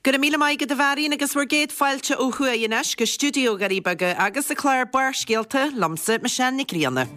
Go raibh míle maith agat a Mharion agus bhur gcéad fáilte ó thuaidh anois go stiúideo Dhoirí Beaga agus an clár Barrscéalta liomsa Michelle Nic Grianna.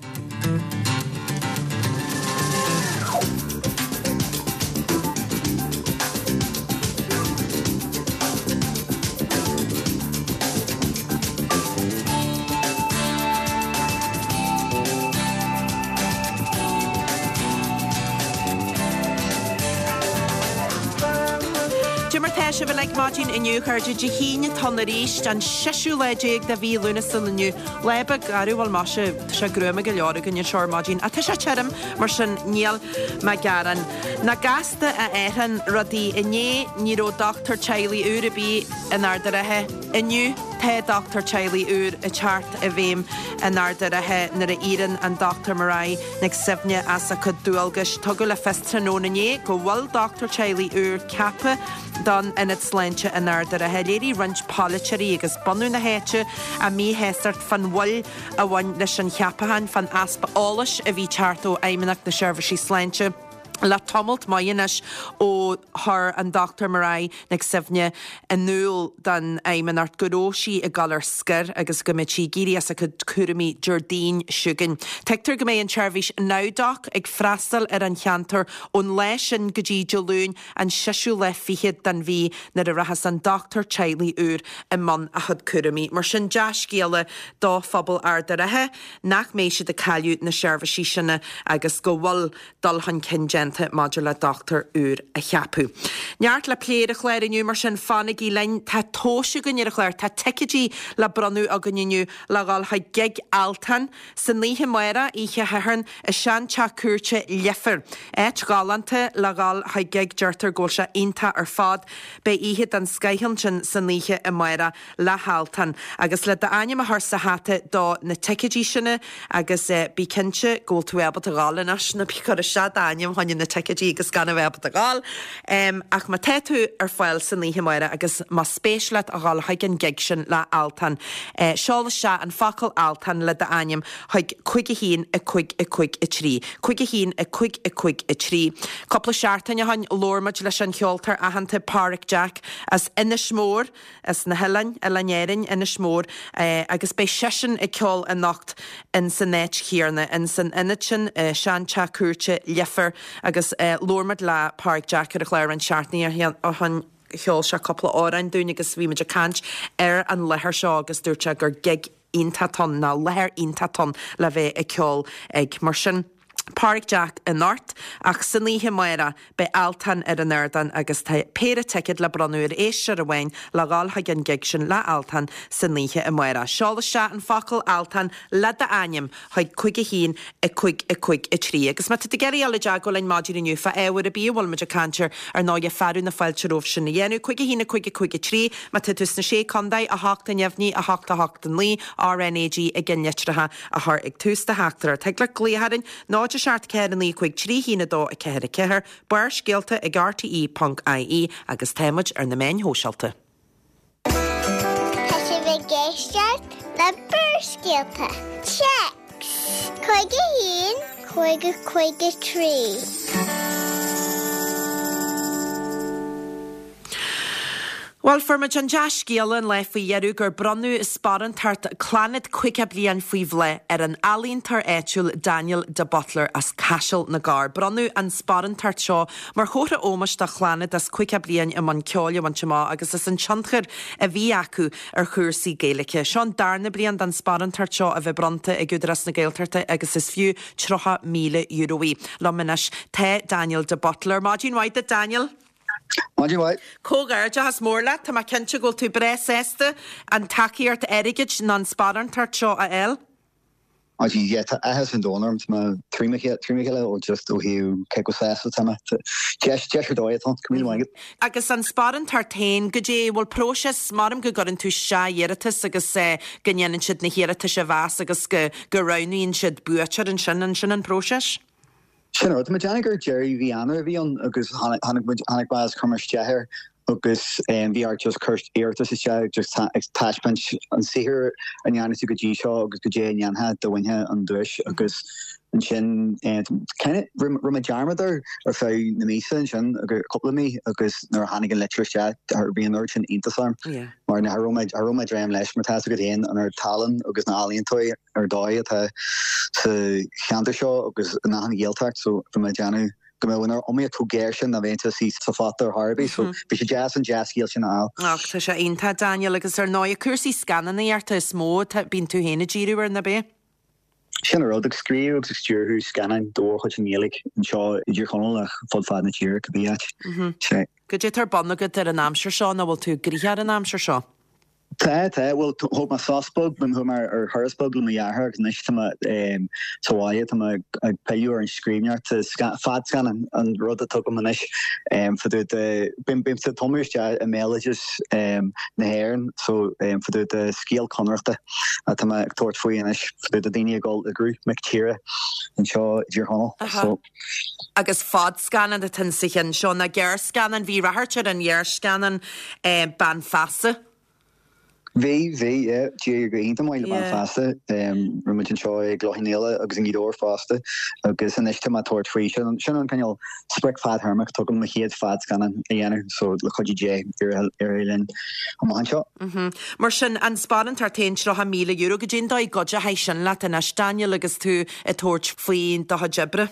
Cad é mar tá sibh uilig maidin inniu, a chairde? Dé hAoine atá ann arís, an seisiú lá déag de mhí Lúnasa inniu. Lá beag garbh, bhuel maise, tá sé gruama go leor againn anseo ar maidin, ach tá sé tirim, mar sin níl mé ag gearán. Nach gasta a athraíonn rudaí. Inné ní raibh dochtúir teaghlaigh úr ar bith in Ard an Rátha. Inniu tá dochtúir teaghlaigh úr ag teacht i bhfeidhm in Ard an Rátha nuair a éiríonn an Dr Mairead Nic Suibhne as a cuid dualgais. Tugadh le fios tráthnóna inné go bhfuil dochtúir teaghlaigh úr ceaptha don Ionad Sláinte in Ard an Rátha. Léirigh roinnt polaiteoirí agus bunadh na háite a míshástacht fán mhoill a bhain leis an cheapachán, fán easpa eolais a bhí ag teacht ó Fheidhmeannacht na Seirbhísí Sláinte le tamalt maith anois ó chuir an Dr Mairead Nic Suibhne in iúl don Fheidhmeannacht go raibh sí ag dul ar scor agus go mbeadh sí ag éirí as a cuid cúraimí Déardaoin seo chugainn. Tuigtear go mbeidh an tseirbhís NowDoc ag freastal ar an cheantar ón lá sin go dtí Dé Luain an seisiú lá fichead den mhí nuair a rachas an dochtúir teaghlaigh úr i mbun a chuid cúraimí. Mar sin, dea-scéala do phobal Ard a' Rátha nach mbeidh siad ag cailleadh na seirbhísí sin agus go bhfuil dul chun cinn déanta maidir le dochtúir úr a cheapadh. Neart le plé ar an chlár inniu, mar sin fanaigí linn. Tá tomhais againn ar an chlár, tá ticéidí le bronnadh againn inniu le dhul chuig gig Altan san oíche amárach, oíche Shathairn, i seanteach cúirte Leifear. Áit ghalánta le dhul chuig gig, deirtear go bhfuil sé iontach ar fad. Beidh oíche den scoith ansin san oíche amárach le hAltan. Agus le d'ainm a chur sa hata do na ticéidí sin agus bí cinnte go bhfuil tú ábalta dhul anois, ná bí ag cur isteach d'ainm fá choinne na ticéidí agus gan a bheith ábalta dhul. Ach má tá tú ar fáil san oíche amárach agus más spéis leat a dhul chuig an gig sin le Altan, seol isteach an focal Altan le d'ainm chuig 5 1 5 5 3. 5 1 5 5 3. Cúpla seachtain ó shin labhair muid leis an cheoltóir aitheanta Páraic Jack as Inis Mór, as na hoileáin, Oileáin Árainn, Inis Mór, agus beidh seisean ag ceol anocht in san áit chéanna, in san ionad sin, seanteach cúirte Leifear, agus labhair muid le Páraic Jack ar an chlár roinnt seachtainí ó shin, cheol sé cúpla amhrán dúinn agus bhí muid ag caint ar an láthair seo agus dúirt sé gur gig iontach atá ann, nó láthair iontach atá ann le bheith ag ceol ag. Mar sin. Páraic Jack anocht, ach san oíche amárach beidh Altan ar an ardán agus tá péire ticéad le bronnadh ar éisteoir amháin le dhul chuig an gig sin le Altan san oíche amárach. Seol isteach an focal Altan le d'ainm chuig 5 1 5 5 3. Agus má tá tú ag iarraidh dul i dteagmháil linn maidin inniu fá ábhar ar bith a bhfuil muid ag caint air, ar ndóighe fearadh na fáilte romhaibh sin a dhéanamh. 5 1 5 5 3 Má tá tú sna Sé Contae, 8 a neamhní, 8 8 9, RnaG i gceannlitreacha. a chur ag tús do theachtaireacht. Thig leat glaoch orainn, 0 7 4 9 5 3 1 2 4 4, Barrscéalta ag rte.ie agus tá muid ar na meáin shóisialta. Tá sibh ag éisteacht le Barrscéalta. Téacs 5 1 5 5 3. Bhuel, fuair muid an dea-scéala an lá faoi dheireadh gur bronnadh sparántacht Clannad 50 Bliain Faoi Bhláth ar an ealaíontóir áitiúil Daniel de Buitléar as Caiseal na gCorr. Bronnadh an sparántacht seo mar chomhartha ómóis do Chlannad as 50 bliain i mbun ceoil a bhaint amach agus as an tionchar a bhí acu ar chúrsaí Gaeilge. Seo an darna bliain don sparántacht seo a bheith bronnta ag Údarás na Gaeltachta agus is fiú €30,000 í. Liom anois tá Daniel de Buitléar. Maidin mhaith duit Daniel! Maidin mhaith. Comhghairdeachas mór leat. Tá mé cinnte go bhfuil tú breá sásta an tacaíocht airgid nó an sparántacht seo a fháil. Maidin, yeah, tá áthas an domhain orm. Tá mé trí mo chéile ó just ó thaobh cé chomh sásta atá mé. Deis, deis ar dóigh atá ann. Go raibh míle maith agat. Agus an sparántacht féin, goidé, bhfuil próiseas, maram go gcuireann tú isteach iarratas agus go ndéanann siad na hiarratais a mheas agus go go roghnaíonn siad buaiteoir ansin, an sin an próiseas? Sin an rud. Tá mé ag déanamh gur deireadh mhí Eanáir a bhí ann agus tháinig muid, tháinig mé agus chuir mé isteach air agus bhí ort just cur iarratas isteach just ag taispeáint an saothar a ndearna tú go dtí seo agus goidé a ndéanfá dá mbainfeá an duais agus. Ansin kind of rinne mé dearmad air ar feadh na míosa ansin, cúpla mí, agus nuair a tháinig an litir isteach bhí an oiread sin iontas orm mar cha raibh mé cha raibh mé ag dréim leis mar tá 'fhios agat féin an oiread tallann agus na healaíontóirí ar dóigh atá sa cheantar seo agus in achan Ghaeltacht so bhí mé ag déanamh go mbeadh an iomaíocht chomh géar sin dá mbeinnse istigh sa phota ar chor ar bith so bhí sé deas an dea-scéal sin a fháil. Ach tá sé iontach Daniel agus ar ndóigh cúrsaí scannánaíochta is mó atá bíonn tú féin ag díriú air, ná b'é? Sin an rud, ag scríobh agus ag stiúrthú scannáin de mhórchuid i nGaeilge anseo i dTír Chonaill ach fud fad na tíre, cibé áit. Sea. Goidé atá ar bun agat ar an aimsir seo nó bhfuil tú gnoitheach ar an aimsir seo? Tá, tá. Bhuel, thóg mé sos beag, chuaigh mé ar thuras beag le mo dheartháir agus anois tá mé sa bhaile, tá mé ag pilleadh ar an scríbhneoireacht, fadscannán an rud atá agam anois. Fá dtaobh de, bímse ag tumadh isteach i mbéaloideas na hÉireann so fá dtaobh de scéal Connarachta. Atá mé ag tabhairt faoi anois, fá dtaobh de daoine ag dul i gcruth mic tíre anseo i dTír Chonaill. So. Agus fadscannán atá insa cheann seo, nó gearrscannán, bhí ráchairt ar an ghearrscannán Bean Feasa. Bhí, bhí, yeah. D'éirigh go hiontach maith le Bean Feasa. Rinne muid anseo i gCloich Cheann Fhaola agus i nGaoth Dobhair fosta. Agus anois tá mé ag tabhairt faoi, sin, sin an cineál sprioc fadthéarmach atá agam, mo chéad fadscannán a dhéanamh, so le cuidiú Dé, éireoidh linn amach anseo. Mar sin, an sparántacht féin, €30,000, goidé an dóigh a gcuideochaidh sin leat anois, Daniel, agus tú ag tabhairt faoi do chuid oibre?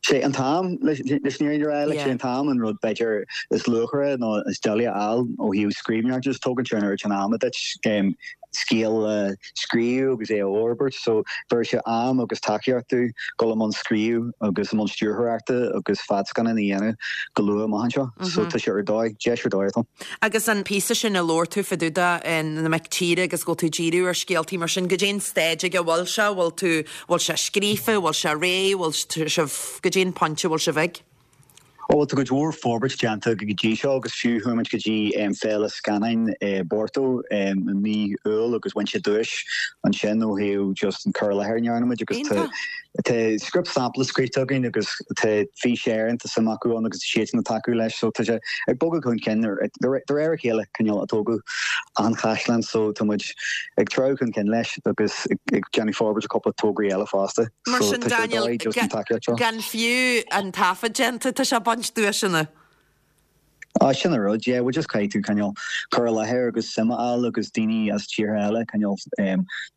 Sé an t-am, leis an fhírinne a rá, like, sé an t-am an rud b'fhéidir is luachmhaire nó is doiligh a fháil ó thaobh scríbhneoireachta, just tógann sé an oiread sin ama duit scéal a scríobh agus é a fhorbairt, so bheir sé am agus tacaíocht domh dul i mbun scríobh agus i mbun stiúrthóireachta agus fadscannán a dhéanamh go luath amach anseo, so tá sé ar dóigh, deis ar dóigh atá ann. Agus an píosa sin a labhair tú fá dtaobh de, na mic tíre agus go bhfuil tú ag díriú ar scéaltaí mar sin, goidé an staid ag a bhfuil sé, bhfuil tú, bhfuil sé scríofa, bhfuil sé réidh, bhfuil sibh, goidé an pointe a bhfuil sibh ag? Ó bhuel tá cuid mhór forbairt déanta go dtí seo agus fiú chuaigh muid go dtí Féile Scannáin i bPorto i mí Iúil agus bhain sé duais ansin ó thaobh just an cur i láthair a ndearna muid agus tá tá script sampla scríte againn agus tá Fís Éireann tá suim acu ann agus tá siadsan ag tacú leis so tá sé ag bogadh chun cinn de réir a chéile cineál a tógadh an chaisleán so tá muid ag treabhadh chun cinn leis agus ag déanamh forbairt ar cúpla tograí eile fosta. Mar sin, Daniel, gan fiú an taifead déanta, tá sé ag baint duaiseanna. Á, sin an rud, yeah, bhuel just caithfidh tú cineál cur i láthair agus suim a fháil agus daoine as tíortha eile cineál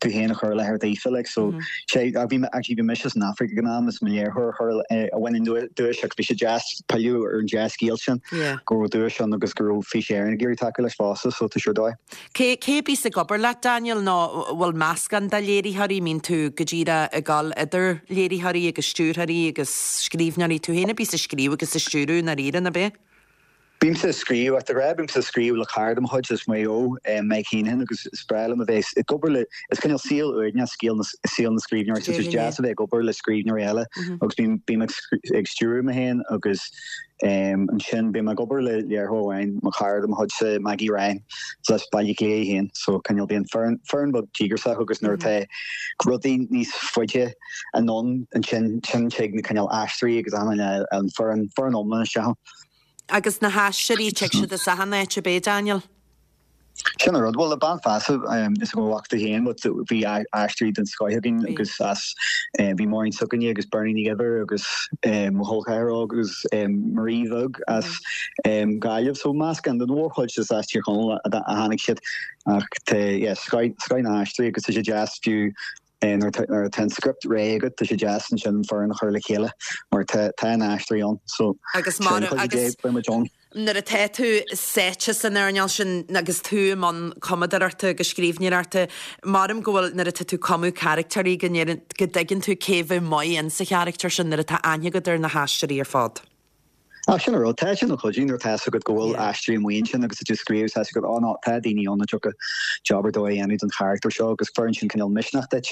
tú féin a chur i láthair daofa, like, so sé, bhí mé, actually bhí mise san Afraic ag an am is mo léiritheoir a chuir, a bhain an duais ach bhí sé deas pilleadh ar an dea-scéal sin go raibh duais ann agus go raibh Fís Éireann ag iarraidh tacú leis fosta, so tá sé ar dóigh. Cé cé a bíos ag obair leat, Daniel, nó bhfuil meascán de léiritheoirí, mbíonn tú go díreach ag dul idir léiritheoirí agus stiúrthóirí agus scríbhneoirí, tú féin a bíos ag scríobh agus ag stiúradh i ndáiríre, ná b'é? Bímse ag scríobh, ach de ghnáth bímse ag scríobh le cara de mo chuid as Maigh Eo, Mike Heneghan, agus is breá liom a bheith ag obair le, is cineál saol uaigneach scéal na, saol na scríbhneoirí, so is deas a bheith ag obair le scríbhneoirí eile agus bím, bím ag, ag stiúradh mé féin agus. Ansin bím ag obair le léiritheoir amháin, mo chara de mo chuidse, Maggie Ryan, is as Baile Átha Cliath í féin, so cineál bíonn foireann, foireann beag díograiseach agus nuair atá rudaí níos faide anonn ansin, sin tig na cineál aisteoirí agus an, an foireann, foireann iomlán isteach ann. Agus na haisteoirí, tig siad as achan áit, ab é, Daniel? Sin an rud. Bhuel, le Bean Feasa, is go bhfaca tú féin, but bhí aisteoirí den scoith againn agus as, bhí Máirín s'againne agus Bernie Ní Dhuibhir agus mo chol ceathar óg agus Marie Bheag as Gaillimh. So meascán den mhórchuid is as Tír Chonaill a tháinig siad ach tá, yeah, scoith, scoith na haisteoirí agus tá sé deas fiú Nuair atá an script réidh agat, tá sé deas ansin an foireann a chur le chéile mar tá tá na haisteoirí ann. So, Agus mar le cuidiú Dé, beidh muid ann. Nuair atá tú sáite san earnáil sin agus tú i mbun cumadóireachta agus scríbhneoireachta, maram go bhfuil nuair atá tú ag cumadh carachtéirí go ndeireann go dtuigeann tú cé bheadh maith in sa charachtar sin nuair atá aithne agat ar na haisteoirí ar fad. Ach sin an rud, tá sin ina chuidiú nuair atá fhios agat go bhfuil aisteoirí amuigh ansin agus tá tú ag scríobh, tá fhios agat, oh no, tá daoine ann a dtiocfadh job ar dóigh a dhéanamh don charachtar seo agus cuireann sin cineál misneach duit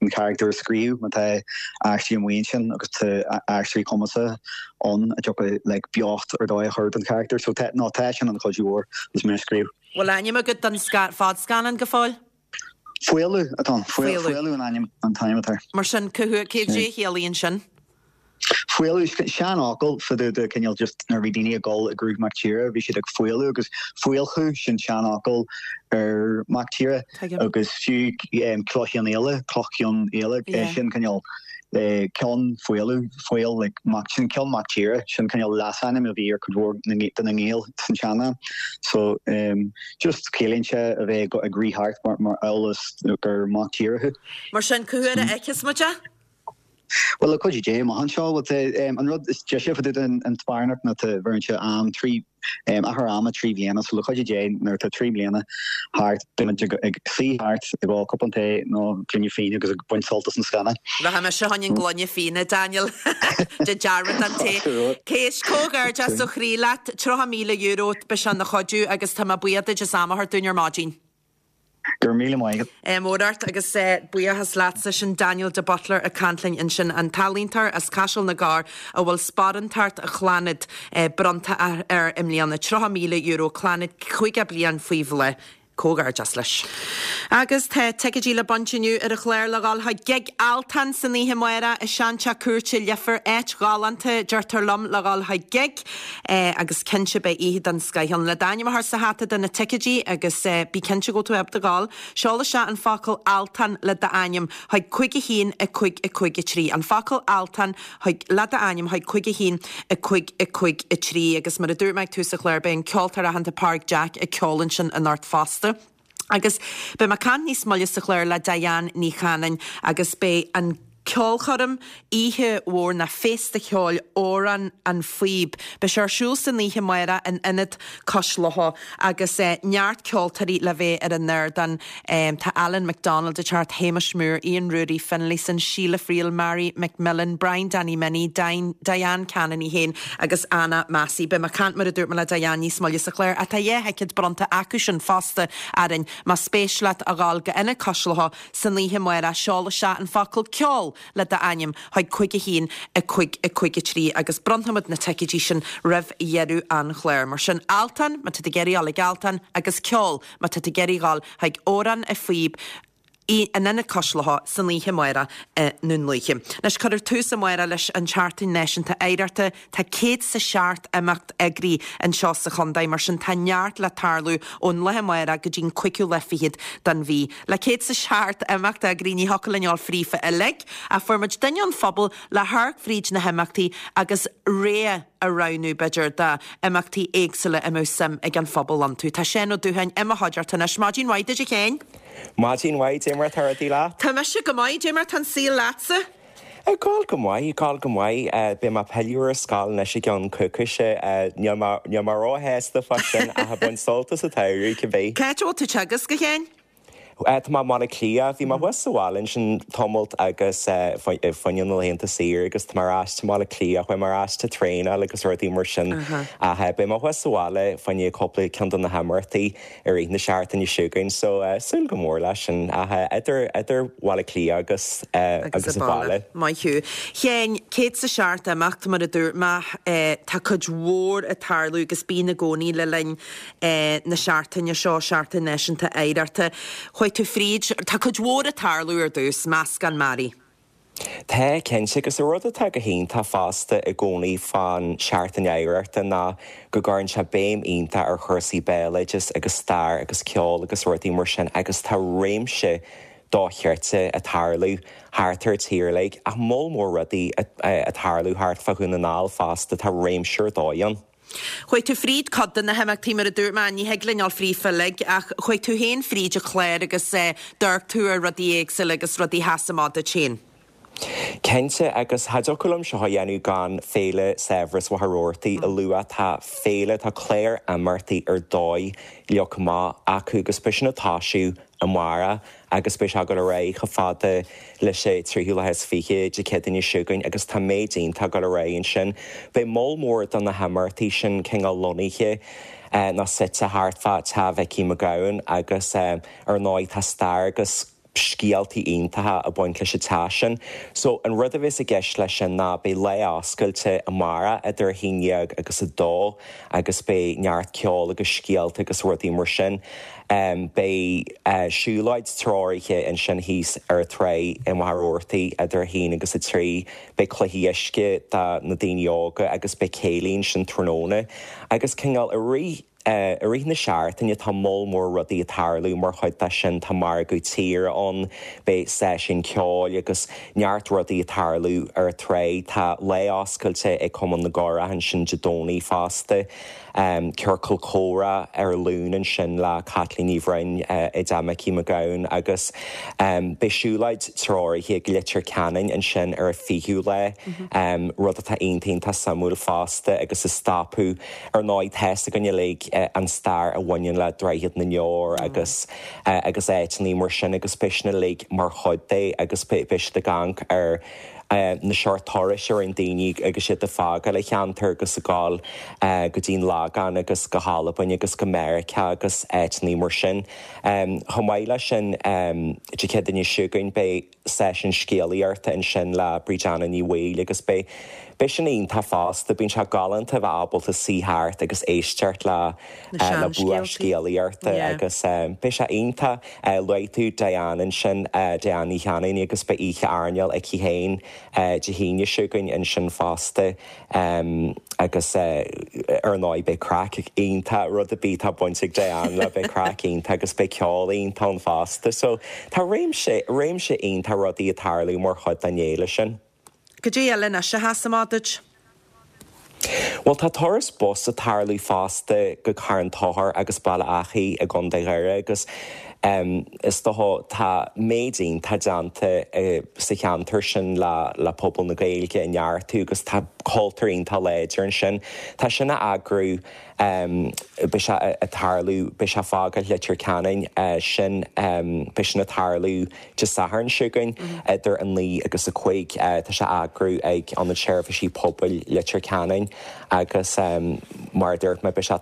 an charachtar a scríobh má tá aisteoirí amuigh ansin agus tá aisteoirí cumasacha ann a dtiocfadh like beocht ar dóigh a chur don charachtar. So tá, no, tá sin ina chuidiú mhór agus mé ag scríobh. Bhfuil ainm agat don fadscannán go fóill? Faolú atá ann. Faolú an ainm an t-ainm atá air. Mar sin, cá huair, cé a chiallaíonn sin? Faolú, seanfhocal fá dtaobh de cineál just nuair a bhí daoine ag dul i gcruth mac tíre bhí siad ag faolú agus faolchú sin seanfhocal ar mac tíre agus fiú Cloich Cheann Fhaola, Cloch Cheann Fhaola sin cineál. Ceann Faoladh, Faol, like mac, sin Ceann Mac Tíre, sin cineál leasainm a bhí ar cuid mhór de na nGaeil san tsean-am. So just ciallaíonn sé a bheith ag rith thart mar mar amhail is gur mac tíre thú. Mar sin, cá huair a fheicfeas muid é? Bhuel, le cuidiú Dé, amach anseo, bhuel tá an rud is deise fá dtaobh den an sparanacht ná tá bheireann sé am 3 achar ama 3 bhliana so le cuidiú Dé nuair atá 3 mbliana thart beidh muid ag suí thart ag ól cupán tae nó gloine fíona agus ag baint sult as an scannán. Rachaidh mise fá choinne an gloine fíona, Daniel. Déan dearmad den tae. Éist, comhghairdeas ó chroí leat, €30,000, beidh sé ina chuidiú agus tá mé buíoch duit as am a thabhairt dúinn ar maidin. Go raibh míle maith agat. Ádh mór ort agus buíochas leatsa. Sin Daniel de Buitléar ag caint linn ansin, an t-ealaíontóir as Caiseal na gCorr a bhfuil Sparántacht Chlannad bronnta air i mbliana, €30,000, Clannad 50 bliain faoi bhláth. Comhghairdeas leis. Agus tá ticéidí le baint inniu ar an chlár le dhul chuig gig Altan san oíche amárach i Seanteach Cúirte Leifear, áit ghalánta, deirtear liom, le dhul chuig gig. Agus cinnte beidh oíche den scoith ann. Le d'ainm a chur sa hata do na ticéidí agus bí cinnte go bhfuil tú ábalta dhul, seol isteach an focal Altan le d'ainm chuig 5 1 5 5 3. An focal Altan chuig le d'ainm chuig 5 1 5 5 3. Agus mar a dúirt mé ag tús an chláir beidh an ceoltóir aitheanta Pádraig Jack ag ceol ansin anocht fosta. Agus beidh mé ag caint níos moille sa chlár le Diane Ní Chanainn agus beidh an ceolchoirm, oíche mhór ná féasta cheoil Amhrán an Phíob. Beidh sé ar siúl san oíche amárach in Ionad Cois Locha agus neart ceoltóirí le bheith ar an ardán. Tá Alan McDonald ag teacht, Hamish Moore, Ian Ruairí Finlayson, Sheila Friel, Mary McMillan, Brian Danny Minnie, Diane Cannon í féin agus Anna Massey. Beidh mé ag caint mar a dúirt mé le Diane níos moille sa chlár ach tá 2 thicéad bronnta acu sin fosta orainn. Más spéis leat a dhul go Ionad Cois Locha san oíche amárach seol isteach an focal ceol le d'ainm chuig 5 1 5 5 3 agus bronnfaimid na ticéidí sin roimh dheireadh an chláir. Mar sin Altan má tá tú ag iarraidh dhul ag Altan agus ceol má tá tú ag iarraidh dhul chuig Amhrán a Phíob in Ionad Cois Locha san oíche amárach i nDún Lúiche. Anois cuirfear tús amárach leis an tSeachtain Náisiúnta Oidhreachta. Tá 107 imeacht eagraithe anseo sa chontae, mar sin tá neart le tarlú ón lá amárach go dtí'n cúigiú lá fichead den mhí. Le 107 imeacht eagraithe ní thiocfadh linn a dhul fríofa uilig, ach fuair muid duine ón phobal le hamharc fríd na himeachtaí agus rogha a roghnú, b'fhéidir, d'imeachtaí éagsúla a mbeadh suim ag an phobal iontu. Tá Seán Ó Dúcháin i mo chuideachta anois. Maidin mhaith duit a Sheáin. Maidin mhaith, dé mar atá rudaí leat? Tá mise go maith, dé mar atá an saol leatsa? Ag gabháil go maith, ag gabháil go maith. Beidh mé ag pilleadh ar an scoil anois i gceann coicíse. Níl mé, níl mé róshásta fá sin ach ag baint sult as an tsamhradh, cibé. Cá háit a bhfuil tú ag teagasc, a Sheáin? Tá mé i mBaile Átha Cliath. Bhí mé thuas sa bhaile ansin tamalt agus fá choinne na laethanta saoire agus tá mé ar ais i mBaile Átha Cliath. Chuaigh mé ar ais ag traenáil agus rudaí mar sin ach beidh mé thuas sa bhaile fá choinne cúpla ceann de na himeachtaí. i rith na seachtaine seo chugainn so súil go mór leis sin ach idir idir Bhaile Átha Cliath agus agus an baile. Maith thú. Sheáin, 107 imeacht mar a dúirt mé, tá cuid mhór ag tarlú agus bíonn i gcónaí le linn na seachtaine seo, Seachtain Náisiúnta Oidhreachta. Chuaigh tú fríd, tá cuid mhór ag tarlú ar dtús, meascán mearaí. Tá, cinnte, agus an rud atá go hiontach fosta i gcónaí fán Seachtain Oidhreachta ná go gcuireann sé béim iontach ar chúrsaí béaloideas agus stair agus ceol agus rudaí mar sin agus tá réimse dochreidte ag tarlú thart ar an tír uilig ach moll mór rudaí ag tarlú thart fá Dhún na nGall fosta, tá réimse ar dóigh ann. Chuaigh tú fríd cuid de na himeachtaí, mar a dúirt mé, ní thig linn dul fríofa uilig, ach chuaigh tú féin fríd an chlár agus d'amharc tú ar rudaí éagsúla agus rudaí a sheas amach duit féin. Cinnte, agus cha dtiocfadh liom seo a dhéanamh gan Féile Saibhreas Mhachaire Rabhartaigh a lua. Tá féile, tá clár imeachtaí ar dóigh leagtha amach acu agus beidh sin ag toisiú amárach agus beidh sé ag dul ar aghaidh chomh fada leis an tríú lá is fiche Dé Céadaoine seo chugainn agus tá méid iontach ag dul ar aghaidh ansin. Beidh moll mór de na himeachtaí sin cineál lonnaithe nó suite thart fá Teach Mhicí Mac Gabhann agus ar ndóigh tá stair agus scéaltaí iontacha ag baint leis an teach sin. So an rud a bheas i gceist leis sin ná beidh lá oscailte amárach idir a haon dhéag agus a dó agus beidh neart ceoil agus scéalta agus rudaí mar sin. Beidh siúlóid treoraithe ansin thíos ar an tráigh i Machaire Rabhartaigh idir a haon agus a trí. Beidh cluichí uisce do na daoine óga agus beidh céilí ansin tráthnóna agus cineál i rith. I rith na seachtaine tá moll mór rudaí ag tarlú mar chuid de sin, tá margadh tíre ann, beidh seisiún ceoil agus neart rudaí ag tarlú ar an tráigh. Tá lá oscailte ag Cumann na gCurach ansin Dé Domhnaigh fosta. Ciorcal comhrá ar an Luan ansin le Caitlín Ní Bhroin i dTeach Micí Mac Gabhann agus beidh siúlóid treoraithe ag Leitir Ceanainn ansin ar an 20ú lá, rud atá iontach iontach suimiúil fosta agus ag stopadh ar ndóigh tá's againn uilig an stair a bhaineann le Droichead na nDeor agus agus áiteanna mar sin agus beidh sin uilig mar chuid de agus beidh siad ag amharc ar na seort turais a rinne daoine agus iad ag fágáil an cheantair agus ag gabháil go dtí an Lagán agus go hAlbain agus go Meiriceá agus áiteanna mar sin. Chomh maith leis sin, Dé Céadaoine seo chugainn beidh seisiún scéalaíochta ansin le Bríd Anna Ní Bhaoill agus beidh beidh sin iontach fosta. Bíonn sé galánta a bheith ábalta suí thart agus éisteacht le le bua scéalaíochta agus beidh sé iontach. Luaigh tú Diane ansin, Diane Ní Chanainn agus beidh oíche airneáil aici féin Dé hAoine seo chugainn ansin fosta agus ar ndóigh beidh craic iontach, rud ar bith atá baint ag Diane le beidh craic iontach agus beidh ceol iontach ann fosta. So tá réimse, réimse iontach rudaí ag tarlú mar chuid den fhéile sin. Goidé eile anois a sheas amach duit? Bhuel, tá turas bus ag tarlú fosta go Carn Tóchair agus Baile Achaidh i gContae Dhoire agus is dócha tá méid iontach déanta sa cheantar sin le pobal na Gaeilge a neartú agus tá cultúr iontach láidir ansin. Tá sin á eagrú Beidh sé ag tarlú, beidh sé ag fágáil Leitir Ceanainn, sin, beidh sin ag tarlú Dé Sathairn seo chugainn idir 9 agus 5. Tá sé á eagrú ag Ionad Seirbhísí Pobail Leitir Ceanainn agus mar a dúirt mé, beidh sé,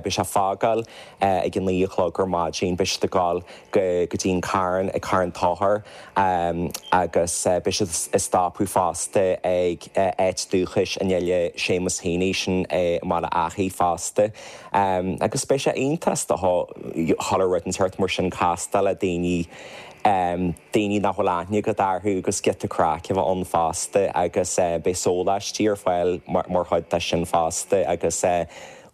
beidh sé ag fágáil ag a 9 a chlog ar maidin, beidh siad ag gabháil go dtí an Carn, ag Carn Tóchair agus beidh siad ag stopadh fosta ag áit dúchais an fhile Séamus Heaney, sin i mBaile Achaidh fosta. Agus beidh sé iontach is dócha chuile rud an tseort mar sin castáil le daoine, daoine nach bhfuil aithne agat orthu agus giota craic a bheith ann fosta agus beidh sóláistí ar fáil mar chuid de sin fosta agus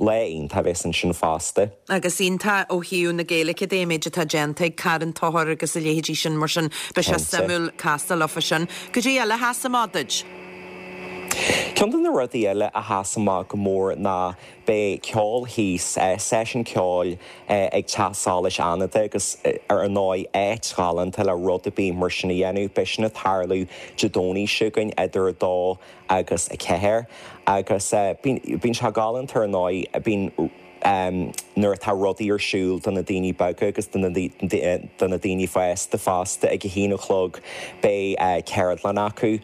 Lá iontach a bheas ansin fosta. Agus iontach ó thaobh na Gaeilge de, an méid atá déanta ag Carn Tóchair agus a leithéidí sin, mar sin beidh sé suimiúil castáil leofa sin. Goidé eile a sheas amach duit? Ceann de na rudaí eile a sheas amach go mór ná beidh ceol thíos, seisiún ceoil ag Teach Solais Fhánada agus ar ndóigh áit ghalánta le rud ar bith mar sin a dhéanamh. Beidh sin ag tarlú Dé Domhnaigh seo chugainn idir 2 agus 4 agus bíonn sé galánta ar ndóigh, bíonn nuair atá rudaí ar siúl do na daoine beaga agus do na daoine fásta fosta ag a haon a chlog beidh ceardlann acu,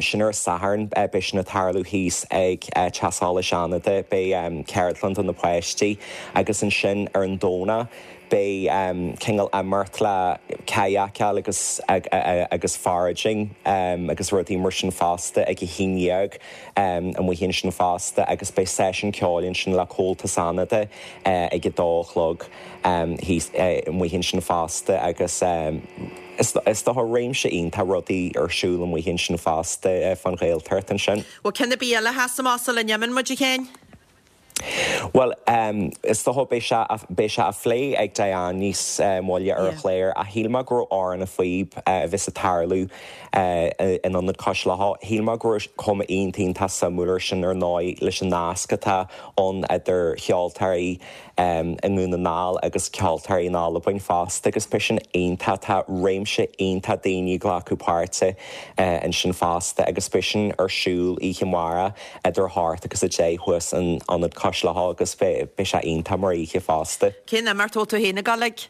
sin ar an Satharn, beidh sin ag tarlú thíos ag Teach Solais Fhánada, beidh ceardlann do na páistí agus ansin ar an Domhnach Beidh cineál imeacht le kayakáil agus agus foraging agus rudaí mar sin fosta ag a haon dhéag amuigh ansin fosta agus beidh seisiún ceoil ansin le Comhaltas Fhánada ag a dó a chlog thíos amuigh ansin fosta agus is dócha réimse iontach rudaí ar siúl amuigh ansin fosta fán Ghaeltacht ansin. Bhfuil ceann ar bith eile a sheas amach sula n-imíonn muid, a Sheáin? Bhuel, is dócha, beidh sé, beidh sé á phlé ag Diane níos moille ar an chlár ach shíl mé go raibh Amhrán na Phíob a bheas ag tarlú in Ionad Cois Locha, shíl mé go raibh cuma iontach iontach suimiúil air sin ar ndóigh leis an nasc atá ann idir cheoltóirí i nDún na nGall agus ceoltóirí in Albain fosta agus beidh sin iontach, tá réimse iontach daoine ag glacadh páirte ansin fosta agus beidh sin ar siúl oíche amárach idir a hocht agus a deich thuas in Ionad Cois Locha agus beidh sé iontach mar oíche fosta. Cén imeacht a bhfuil tú féin ag dul ag?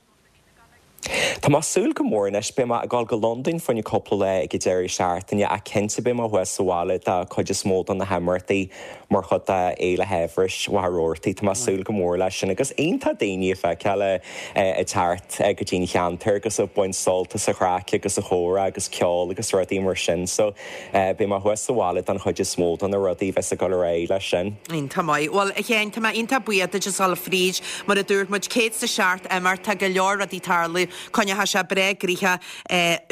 Tá mé ag súil go mór anois. Beidh mé ag dul go Londain fá choinne cúpla lá ag an deireadh seachtaine ach cinnte beidh mé thuas sa bhaile do chuid is mó de na himeachtaí mar chuid de Fhéile Shaibhris Mhachaire Rabhartaigh. Tá mé ag súil go mór leis sin agus iontach daoine a fheiceáil ag teacht go dtí an cheantar agus ag baint sult as an chraic agus an chomhrá agus ceol agus rudaí mar sin. So beidh mé thuas sa bhaile don chuid is mó de na rudaí a bheas ag dul ar aghaidh leis sin. Iontach maith. Bhuel, a Sheáin, tá mé iontach buíoch duit as dhul fríd. Mar a dúirt muid, 107 imeacht, tá go leor rudaí tarlú. Coinneoidh sé breá gnoitheach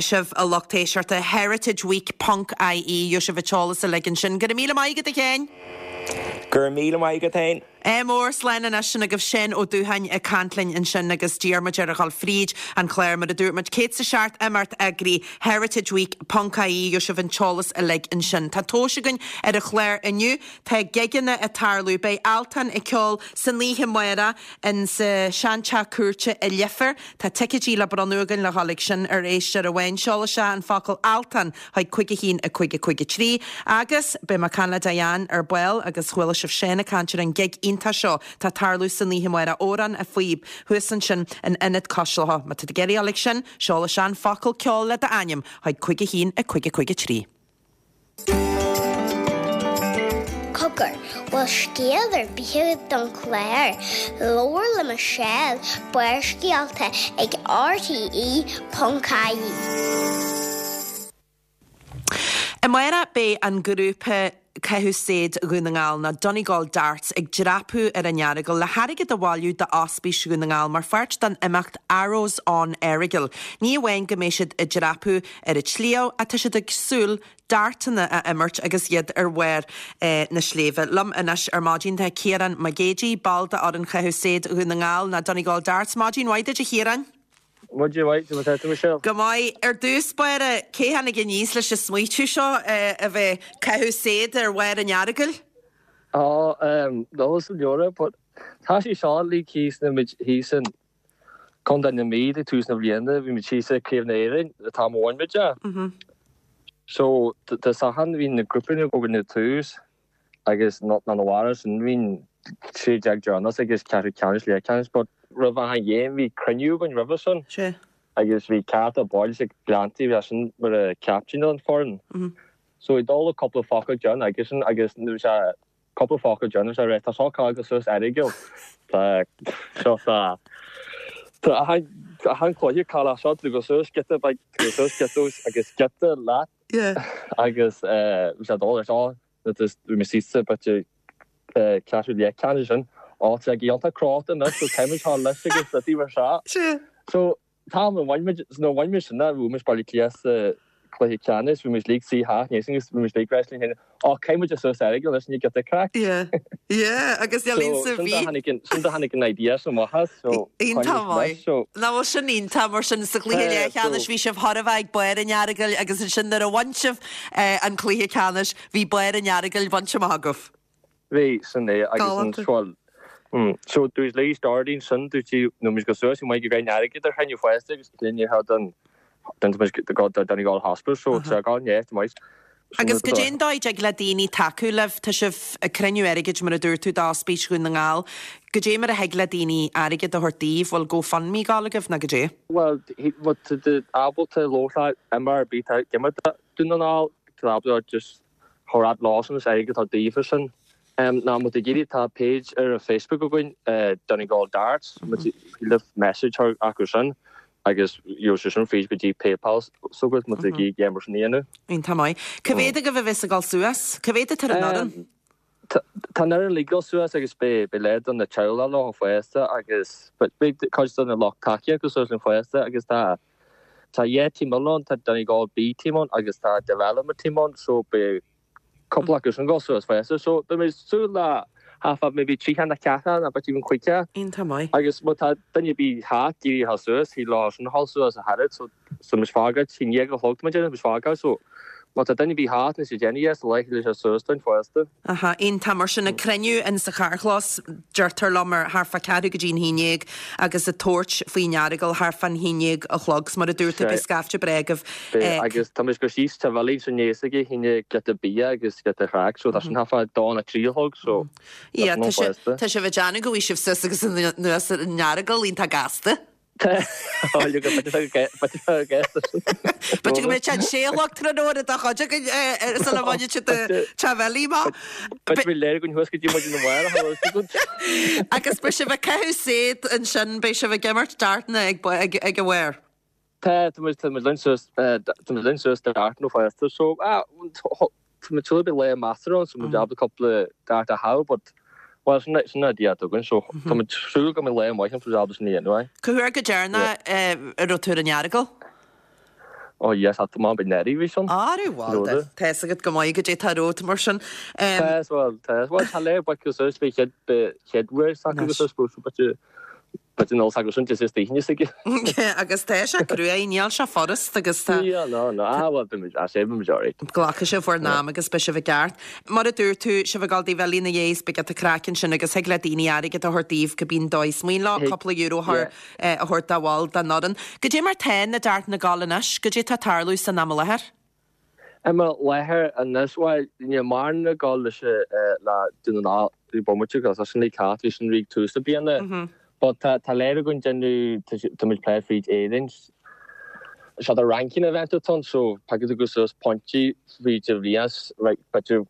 sibh a lucht éisteachta. Heritageweek ponc ie, gheobhaidh sibh an t-eolas uilig ansin. Go raibh míle maith agat, a Sheáin! Go raibh míle maith agat féin! Ádh mór, slán anois, sin agaibh Seán Ó Dútháin ag caint linn ansin agus d'iarr muid air a dhul fríd an chlár mar a dúirt muid, 107 imeacht eagraithe, heritageweek ponc ie, gheobhaidh sibh an t-eolas uilig ansin. Tá tomhais againn ar an chlár inniu, tá gigeanna ag tarlú, beidh Altan ag ceol san oíche amárach in sa seanteach cúirte i Leifear, tá ticéidí le bronnadh againn le dhul ag sin ar éisteoir amháin, seol isteach an focal Altan chuig 5 1 5 5 3 agus beidh mé ag caint le Diane ar ball agus chuala sibh Seán ag caint ar an gig iontach seo atá ag tarlú san oíche amárach, Amhrán a Phíob, thuas ansin in Ionad Cois Locha. Má tá tú ag iarraidh dul ag sin, seol isteach an focal ceol le d'ainm chuig 5 1 5 5 3. Cogar, bhfuil scéal ar bith agat don chlár? Labhair le Michelle, Barrscéalta ag RTE.ie. Amárach beidh an grúpa Caitheamh Said Dhún na nGall nó Donegal Darts ag dreapadh ar an Earagail le hairgead a bhailiú d'Ospís Dhún na nGall mar pháirt den imeacht Arrows on Errigal. Ní amháin go mbeidh siad ag dreapadh ar an tsliabh ach tá siad ag súil dartanna a imirt agus iad ar bharr na sléibhe. Liom anois ar maidin tá Ciarán Mac Géidigh, ball d'fhoireann Chaitheamh Said Dhún na nGall nó Donegal Darts. Maidin mhaith duit a Chiaráin. Maidin mhaith, cad é mar tá tú Michelle? Go maith. Ar dtús báire, cé tháinig aníos leis an smaoitiú seo a bheith ag caitheamh said ar bharr an Earagail? Á, no, sa leora, but tá sé seo like thíos na muid thíos in Contae na Mí ag tús na bliana, bhí muid thíos i Craobh na hÉireann, an t-am a bhain muid é. So, tá sachan, bhí na grúpanna againn ag tús agus ná na bharra sin, bhí 16 deireanas agus ceathrú ceannais, leathcheannais, but roimh achan ghéim bhí cruinniú againn roimhe sin agus bhí ceachtar baill ag Gleanntaí, bhí sin mar a captain an foireann. So ag dul cúpla focal déanamh aigesean agus nuair sé cúpla focal déanamh sé rá tá seo cáil suas Errigal tá seo tá tá achan achan cluiche cáil seo tú go suas giota beag go suas giota agus giota leat agus bhí sé dul ar seo bhí mé suite b'fhéidir ceathrú leathcheannais sin á tá iontach crota anois so caithfimid thar leis agus rudaí mar seo. So Tá, má bhain muid, nuair a bhain muid sin, bhuaigh muid Baile Átha Cliath sa chluiche ceannais, bhí muid uilig suí theach níos agus bhí muid uilig ag rá linn féin, Ó, caithfidh muid suas Errigal anois, ní giota craic. Yeah, yeah, agus níl aon sa bhí. Sin do tháinig an idea sin amach as, so Iontach maith. So. Nach bhfuil sin iontach, mar sin sa chluiche leathcheannais bhí sibh chóir a bheith ag barr an Earagail agus ansin nuair a bhain sibh an cluiche ceannais bhí barr an Earagail bainte amach agaibh. Bhí, sin é, agus an bhuel, so dúirt Louise Doherty ansin, dúirt sí, nuair muid go suas, bhí muid ag roinnt airgid ar chruinniú fosta agus linn ar don, don, don, don Donegal Hospital, so tá gá neart maith. Agus goidé an dóigh a dtig le daoine tacú libh, tá sibh ag cruinniú airgid mar a dúirt tú d'Ospís Dhún na nGall, goidé mar a thig le daoine airgead a thabhairt daoibh, bhfuil GoFundMe ag gabháil agaibh nó goidé? Bhuel, má tá tú ábalta labhairt le imreoir ar bith atá ag imirt do Dhún na nGall, tá ábalta just Chomhrá Lawson is airgead atá daofa sin. Ná má tá ag iarraidh tá page ar an Facebook againn Donegal Darts má tá leave message acu sin agus gheobhaidh sé sin fríd go dtí PayPal s'agat má tá ag iarraidh mar sin a dhéanamh. Iontach maith. Cá mhéad agaibh a bheas ag dul suas? Cá mhéad atá ar an fhoireann? Tá an fhoireann uilig ag dul suas agus beidh leath de na teaghlaigh leo fosta agus beidh cuid de na lucht tacaíochta suas linn fosta agus tá Tá dhá team eile ann, tá Donegal B team ann agus tá Development team ann so beidh cúpla acu sin ag dul suas fosta. So beidh mé ag súil le half of maybe 30 nó ceathracha nó b'fhéidir even 50. Iontach maith. Agus má tá duine ar bith thart ag iarraidh a ghabháil suas, thig leo sin a ghabháil suas a thairid so so muid fágáil, 11 a chlog tá muid ag déanamh, muid fágáil so má tá duine ar bith thart níos déanaí sa lá thig leo suas dúinn fosta. Aha, iontach. Mar sin, ag cruinniú in sa charrchlós, deirtear liom, ar thart fá ceathrú go dtí an haon dhéag agus ag tabhairt faoin Earagail thart fán haon dhéag a chlog. 'S mar a dúirt tú, beidh scaifte breá agaibh. Beidh, agus tá muid ag goil síos Teach Bhilí ansin ag a haon dhéag, giota bia agus giota craic, so tá sin thart fá dó nó trí a chlog, so tá sin ann fosta. Tá sibh ag déanamh go bhfaighidh sibh suas agus anuas ar an Earagail iontach gasta. B'fhéidir go mbeidh sé an sé a chlog tráthnóna do chuid againn sula mbainfidh siad Teach Bhilí amach. Agus beidh sibh ag caitheamh said ansin, beidh sibh ag imirt dartanna ag a bharr. Tá, tá muid linn suas, tá muid linn suas dartanna fosta so Tá muid súil beidh lá measartha ann so muid ábalta cúpla dart a chaitheamh but well sin sin an idea atá againn so tá muid súil go mbeidh lá maith ann so muid ábalta sin a dhéanamh aye. Cá huair go deireanach a raibh tú ar an Earagail? Oh yes, tá mé bit neirbhíseach. Arú, bhuel, Rud. tá fhios agat go maith goidé tá romhat mar sin. Tá, bhuel, tá, bhuel, tá léir baic go suas fé chéad, chéad uair s'acu go suas go bit bit an s'acu sin is daoine s'aige. Agus tá sé cruaidh, níl sé furast agus tá. Níl, no, no, ah, bhuel, beimid, ah, sé, beimid alright. Glacfaidh sibh bhur n-am agus beidh sibh i gceart. Mar a dúirt tú, sibh ag dul Dé Bhilí ina dhiaidh is beidh giota craic ansin agus thig le daoine airgead a thabhairt daoibh cibé an dóigh is mian leo, cúpla euro a chur. a thabhairt do bhall den fhoireann. Goidé mar tá na dartanna ag gabháil anois? Goidé tá ag tarlú san am i láthair? Am i láthair anois, bhuel, níl mórán ag gabháil leis le Dún na nGall i bomaite agus tá sin le cat, bhí sin ag tús na bliana. But tá tá léir againn déanamh, tá muid plé fríd Éirinn. Seo the ranking event atá ann so piocfaidh tú go suas pointí fríd an bhliain, right, b'fhéidir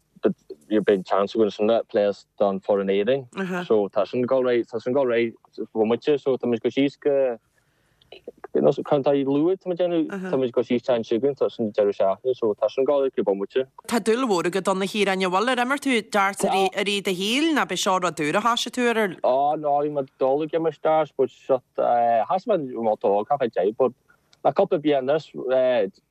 beidh an chance againn sin le plé don foireann Éirinn. So tá sin ag dul right, tá sin ag dul right bomaite so tá muid go síos go contae Lú tá muid déanamh, tá muid go síos teann chugainn, tá sin deireadh seachtaine so tá sin ag dul go bomaite. Tá dúil mhór agat ann a Chiaráin, an bhfuil, ar imir tú darts i rith i rith do shaoil nó b'é seo rud úr a thoisigh tú ar? Á no, bhí mé ag dul ag imirt darts but seo thosaigh mé i mo óg, chaith mé deich but Le cúpla bliain anuas,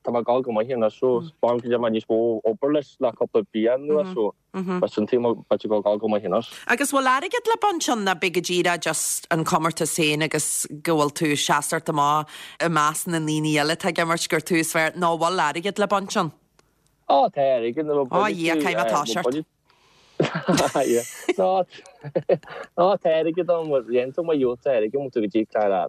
tá mé ag dul go maith anois so b'fhearr go mbeadh níos mó obair leis le cúpla bliain anuas so b'in an taobh b'fhéidir go dul go maith anois. Agus bhfuil airgead le baint ann nó b'é go díreach just an comórtas féin agus go bhfuil tú seasacht amach i measc na ndaoine eile atá ag imirt gur tú is fearr nó bhfuil airgead le baint ann? Ó tá airgead nuair a Ó a Dhia, caithfidh mé toiseacht. Ná ná tá airgead ann, dhéanann tú maith gheobhaidh tú airgead má tá tú go dtí clár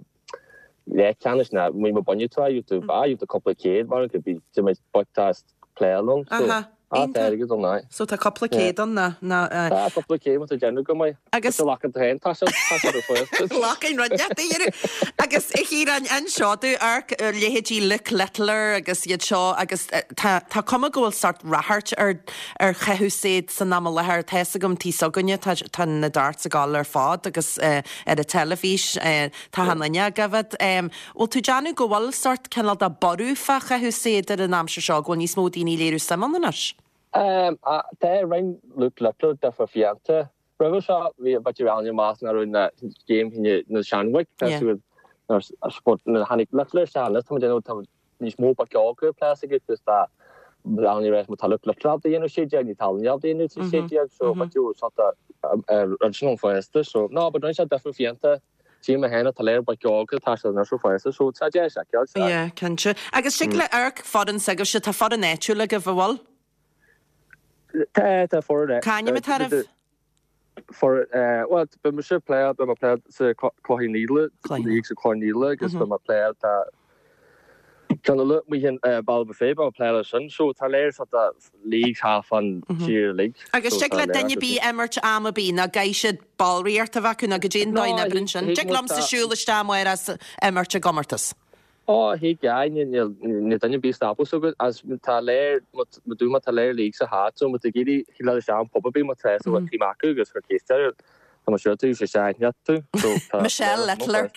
leathcheannais ná má má bhaineann tú é gheobhaidh tú ah gheobhaidh tú cúpla céad mar go bí de mé bocht as pléáil ann so Aha, ah tá iontach. airgead ann aye. So tá cúpla céad ann ná ná eh. Tá cúpla céad má tá déanamh go maith. Agus. Tá lacan tú féin tá sé tá sé do phost. Lacan rud leat a iarraidh. Agus a Chiaráin inis domh amharc ar leithéidí Luke Littler agus iad seo agus tá tá cuma go bhfuil sórt ráchairt ar ar chaitheamh said san am i láthair. Tá fhios agam taobh s'againne tá tá na darts ag gabháil ar fad agus eh ar an teilifís eh Tá an duine agaibh. Bhfuil tú ag déanamh go bhfuil sórt cineál de borradh fá chaitheamh said ar an aimsir seo, go bhfuil níos mó daoine ag léiriú suim ann anois? Tá rinne Luke Littler difear fiánta. Roimhe seo bhí a bit around amach nach raibh na game na seanmhaigh nuair a tháinig Littler isteach anois tá muid ag déanamh tá níos mó ba ceol pléas aige agus tá Leonie Reyes má tá Luke Littler ábalta a dhéanamh 16 ní tá Alan ábalta a dhéanamh 16 so but you sort of rud sin an fásta so no but rinne sé difear fiánta Tchím mé féin tá léir ba ceol tá sé anois fásta so tá deis aici sea. Yeah, cinnte. Agus tig le amharc foireann s'agaibhse, tá foireann áitiúil agaibh, an bhfuil? Tá, tá foireann. Cá ainm atá oraibh? For, bhuel, beidh mise ag pléáil, beidh mé ag pléáil sa Cloich Cheann Fhaola, league sa Cloich Cheann Fhaola agus beidh mé ag pléáil, tá ceann eile amuigh in Baile Bhuirfé, beidh mé ag pléáil leis sin. So tá léir sort of leagues half an tír uilig. Agus tig le duine ar bith imirt am ar bith, nó caithfidh siad ballraíocht a bheith acu nó goidé an dóigh a n-oibríonn sin. Tig liomsa siúl isteach amárach is imirt i gcomórtas. Ó, thig, aye, níl duine ar bith ag stopadh so agus tá léir, má dú má tá léir league sa háit so má tá ag iarraidh thig leat isteach an pub ar bith má tá sa bhfuil team acu agus chuir ceist air tá mé sure tú sé sé aithne tú so tá Michelle Littler.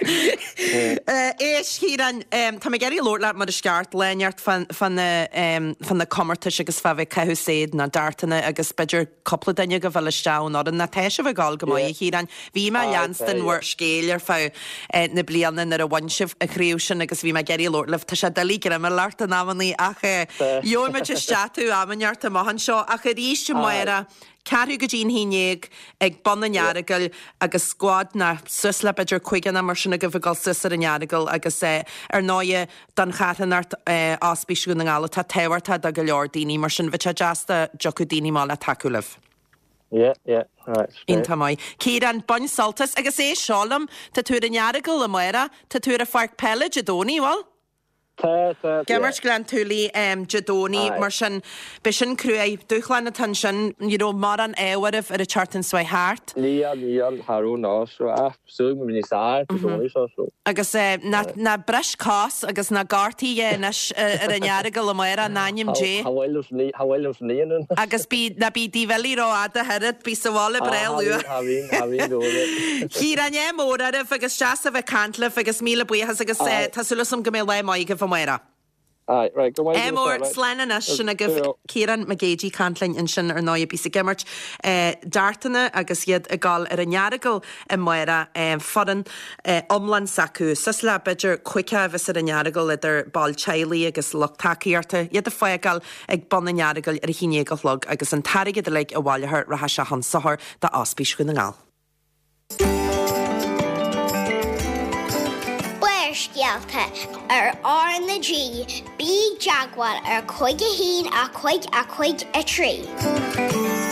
Éist, Chiaráin, tá mé ag iarraidh labhairt leat mar is ceart lá inteacht fá na comórtais agus fá bheith ag caitheamh said na dartanna agus b'fhéidir cúpla duine agaibh a fháil isteach ón fhoireann. Ná tá sibh ag gabháil go maith, a Chiaráin. Bhí mé ag leanstan bhur scéil ar feadh na bliana nuair a bhain sibh an chraobh sin agus bhí mé ag iarraidh labhairt libh. Tá sé doiligh greim a fháil ort in amannaí ach gheobhaidh muid isteach tú am inteacht amach anseo. Ach arís amárach, ceathrú go dtí an haon dhéag ag bun an Earagail agus scuad ná suas le b'fhéidir cúigear nó mar sin agaibh ag dul suas ar an Earagail agus ar ndóighe don charthanacht Ospís Dhún na nGall atá tábhachtach do go leor daoine, mar sin bheadh sé deas dá dtiocfadh daoine amach le tacú libh. Yeah, yeah, alright, great. Iontach maith. Ciarán, bain sult as, agus éist seo liom, tá tú ar an Earagail amárach, tá tú ar an pháirc peile Dé Domhnaigh, bhfuil? Tá, tá, Ag imirt Gleann tSúilí Dé Domhnaigh, mar sin, beidh sin cruaidh, dúshlán atá ansin, ní raibh mórán ádh oraibh ar an tseachtain seo thart. Níl, níl, cha raibh ná, so, ah, súil go mbeidh níos fearr Dé Domhnaigh seo, so. Agus ná bris cos agus ná gortaigh é anois ar an Earagail amárach, in ainm Dé. Cha bhfuil liom san aon. Agus bí, ná bí díbhilí rófhada oiread, bí sa bhaile breá luath. Cha bhíonn, cha bhíonn go bhfuil. Ciarán, ádh mór oraibh agus deas a bheith ag caint libh agus míle buíochas agus tá súil agam go mbeidh lá maith agaibh amárach. Aye, right, go maith Ádh mór, slán anois, sin agaibh Ciarán Mac Géidigh ag caint linn ansin ar ndóigh a bíos ag imirt dartanna agus iad ag dul ar an Earagail amárach, foireann iomlán s'acu, suas le b'fhéidir 50 a bheas ar an Earagail idir baill teaghlaigh agus lucht tacaíochta, iad ag fágáil ag bun an Earagail ar a haon dhéag a chlog agus an t-airgead uilig a bhaileofar rachaidh sé chun sochair d'Ospís Dhún na nGall. Barrscéalta ar R na G, bí i dteagmháil ar 5 1 5 5 3.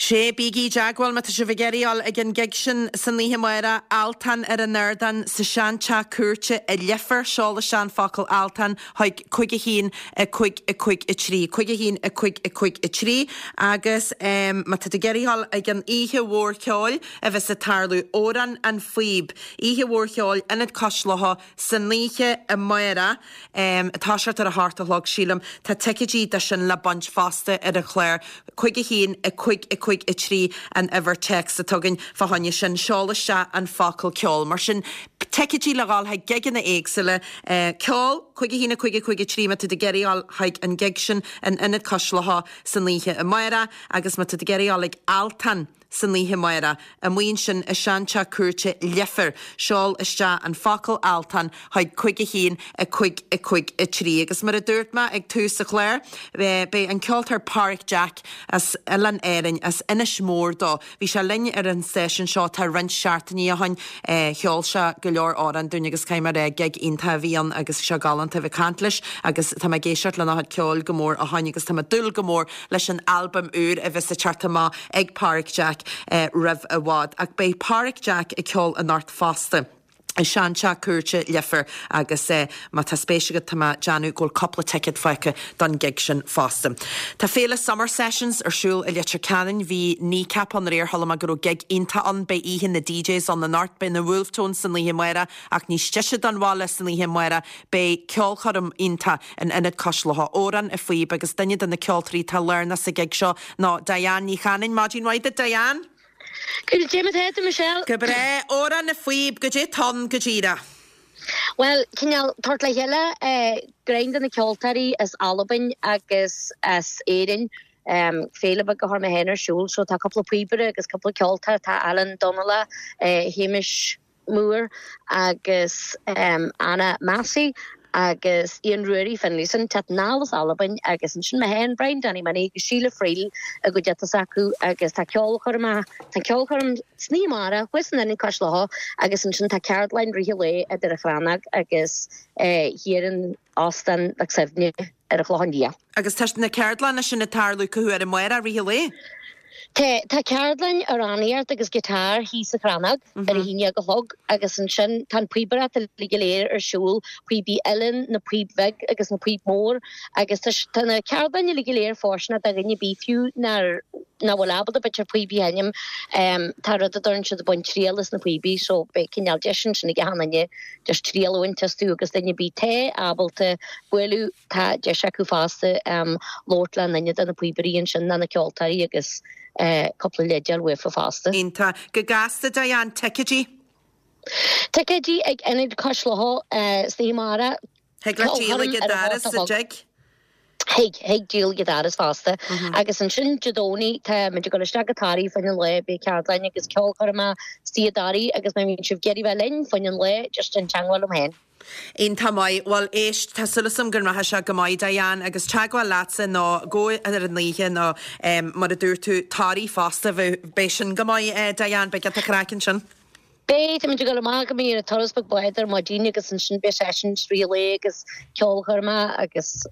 Sé, bígí i dteagmháil má tá sibh ag iarraidh a dhul ag an gig sin san oíche amárach, Altan ar an ardán sa seanteach cúirte i Leifear, seol isteach an focal Altan chuig 5 1 5 5 3, 5 1 5 5 3, agus má tá tú ag iarraidh a dhul ag an oíche mhór cheoil a bheas ag tarlú, Amhrán an Phíb, oíche mhór cheoil, Ionad Cois Locha, san oíche amárach, ag toiseacht ar a hocht a chlog, sílim. Tá ticéidí do sin le baint fosta ar an chlár. 5 1 5 5 3 an uimhir téacs atá againn fá choinne sin. Seol isteach an focal ceol. Mar sin, ticéidí le dhul chuig gigeanna éagsúla. Ceol, 5 1 5 5 3 má tá tú ag iarraidh a dhul chuig an gig sin in Ionad Cois Locha san oíche amárach agus má tá tú ag iarraidh a dhul ag Altan san oíche amárach, amuigh ansin i seanteach cúirte Leifear, seol isteach an focal Altan chuig 5 1 5 5 3. Agus mar a dúirt mé ag tús an chláir, beidh an ceoltóir Páraic Jack as Oileáin Árainn, as Inis Mór dó. Bhí sé linn ar an stáisiún seo tá roinnt seachtainí ó shin. Cheol sé go leor amhrán dúinn agus caithfidh mé a rá, gig iontach a bhí ann agus bhí sé galánta a bheith ag caint leis agus tá mé ag éisteacht lena chuid ceoil go mór ó shin agus tá mé ag dúil go mór leis an albam úr a bheas ag teacht amach ag Páraic Jack roimh i bhfad. Ach beidh Páraic Jack ag ceol anocht fosta i seanteach cúirte Leifear agus má tá spéis agat tá mé ag déanamh go bhfuil cúpla ticéad fágtha don gig sin fosta. Tá Féile Summer Sessions ar siúl i Leitir Ceanainn. Bhí Kneecap ann aréir, chuala mé go raibh gig iontach ann. Beidh oíche na DJs ann anocht, beidh na Wolfe Tones san oíche amárach ach níos deise don bhaile san oíche amárach beidh ceolchoirm iontach in Ionad Cois Locha, Amhrán a Phíob agus duine de na ceoltóirí atá lárnach sa ghig seo ná Diane Ní Chanainn. Maidin mhaith duit Diane! Goidé mar tá tú Michelle? Go breá. Amhrán na Phíob, goidé tá ann go díreach? Bhuel, cineál tabhairt le chéile greim de na ceoltóirí as Albain agus as Éirinn. Féile beag a chuir mé féin ar siúl so tá cúpla píobaire agus cúpla ceoltóir, tá Alan Donnella, Hamish Moore agus Anna Massey agus Ian Ruairí Finlayson, teacht anall as Albain agus ansin mé féin, Brian Danny Minnie agus Síle Friel i gcuideachta s'acu agus tá ceolchoirm, tá ceolchoirm san oíche amárach thuas in Ionad Cois Locha agus ansin tá ceardlann rith an lae idir an Chrannóg agus thiar in Óstán Loch Suibhne. ar an Chlochán Liath. Agus tá na ceardlanna sin ag tarlú cá huair amárach, rith an lae? Tá, tá ceardlann amhránaíocht agus guitar thíos sa Chrannóg ar a haon dhéag a chlog agus ansin tá an píobaireacht uilig go léir ar siúl, píobaí uilleann, na píob bheag agus na píob mór agus tá, tá na ceardlanna uilig go léir fóirsteanach do dhuine ar bith fiú nár, nach bhfuil ábalta b'fhéidir píobaí a sheinm, tá rud a deireann siad ag baint triail as na píobaí so beidh cineál deis ansin ag achan duine Just triail a bhaint astu agus duine ar bith atá ábalta bualadh, tá deis acu fosta labhairt le duine de na píobairí ansin, nó na ceoltóirí agus cúpla leid a fháil uafa fosta. Iontach. Go gasta, Diane. Ticéidí? Ticéidí ag Ionad Cois Locha san oíche amárach. Thig leat díol ag an doras sa dtigh? Thig, thig díol ag an doras fosta. Agus ansin Dé Domhnaigh tá muid ag dul isteach go Toraigh fá choinne an lae, beidh ceardlann agus ceolchoirm istigh i dToraigh agus má bhíonn sibh ag iarraidh bheith linn fá choinne an lae, just déan teagmháil liom féin. Iontach maith. Bhuel, éist, tá súil agam go rachaidh sé go maith, Diane, agus teagmháil leatsa nó gabh ar an oíche nó mar a dúirt tú, Toraigh fosta, beidh sin go maith, Diane, beidh giota craic ansin. Beidh, táimid ag dul amach go mbíonn an turas beag báid ar maidin agus ansin beidh sessions rith an lae agus ceolchoirme agus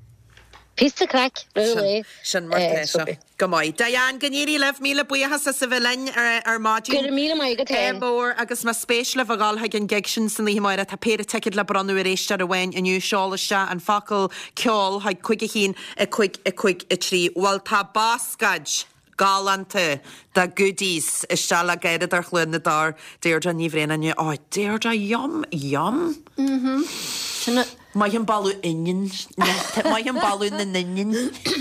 píosa craic rith an lae. Sin mar tá sé. Go maith. Diane, go n-éirí libh, míle buíochas as a bheith linn ar maidin. Go raibh míle maith agat féin. Ádh mór agus más spéis libh a dhul chuig an gig sin san oíche amárach tá péire ticéad le bronnadh ar éisteoir amháin inniu. Seol isteach an focal ceol chuig 5 1 5 5 3. Bhuel tá bascaed! galánta de goodies isteach le Garradóir Chluain na dTor, Deirdre Ní Bhraonáin. Ó, Deirdre, yum, yum. Mhm. Sin é. Maith an boladh oinniún. Maith an boladh na n-oinniún.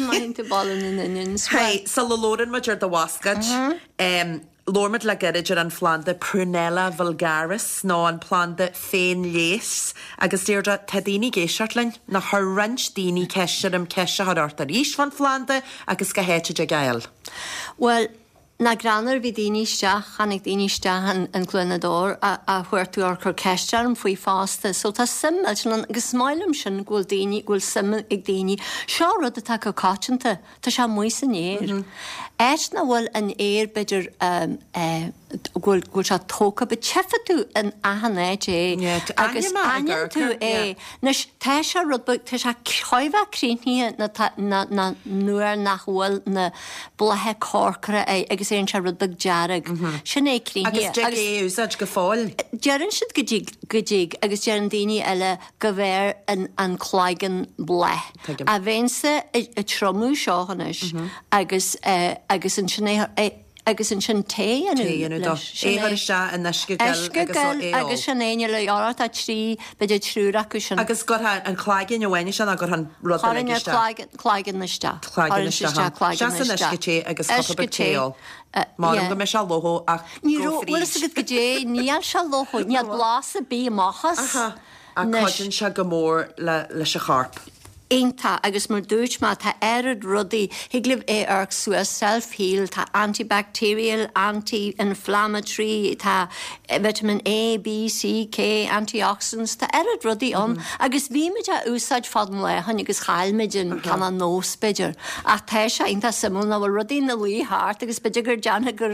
Maith an boladh na n-oinniún. Hey, sula labhrann muid ar do bhascaed, em, Labhair muid le gairid ar an phlanda Prunella vulgaris nó an planda féinleigheas agus Deirdre, tá daoine ag éisteacht linn, nó chuir roinnt daoine ceist orm ceist a chur ort arís fán phlanda agus cá háit a dtig é a fháil. Bhuel, nach greannmhar, bhí daoine isteach, tháinig daoine isteach in in Cluain na Dor a a chuartú or cur ceist orm faoi fosta. So tá suim millteanach ann agus is maith liom sin go bhfuil daoine, go bhfuil suim ag daoine. Seo rud atá go coitianta. Tá sé amuigh san aer. Áit nach bhfuil an aer b'fhéidir go bhfuil go bhfuil sé tógtha but tchífidh tú in achan áit é agus aithníonn tú é. Anois tá sé rud beag tá sé chóir a bheith críochnaithe ná tá ná ná nuair nach bhfuil na blátha corcra air agus éiríonn sé rud beag dearg. Sin é críochnaithe. Agus dtig é a úsáid go fóill. Deireann siad go dtig go dtig agus deireann daoine eile go bhfearr an cloigeann bláth. A bheinnse ag triomú seo anois agus agus ansin é agus ansin tae a dhéanamh leis. É a chur isteach in uisce gil agus é a ól. Agus sin é, níl a tá trí, b'fhéidir triúr acu sin. Agus gcuirfeá an cloigeann amháin isteach nó gcuirfeá an rud uilig isteach? Chuirfinn an cloigeann isteach. Cloigeann isteach. Isteach san uisce te agus cupa beag tae a ól. M'anam go mbeidh sé lofa ach Ní raibh, bhfuil fhios agat goidé, níl sé lofa, níl blas ar bith amach as. Ach cuidíonn sé go mór leis an chorp. Iontach, agus mar dúirt mé, tá oiread rudaí, thig libh é a amharc suas, self heal, tá antibacterial, anti-inflammatory, tá vitamin A, B, C, K, antioxidants, tá oiread rudaí ann agus bhí muid á úsáid fad an lae ó shin agus chaill muid an cineál nós b'fhéidir. Ach tá sé iontach suimiúil nach bhfuil rudaí ina luí thart agus b'fhéidir gur déanfaidh gur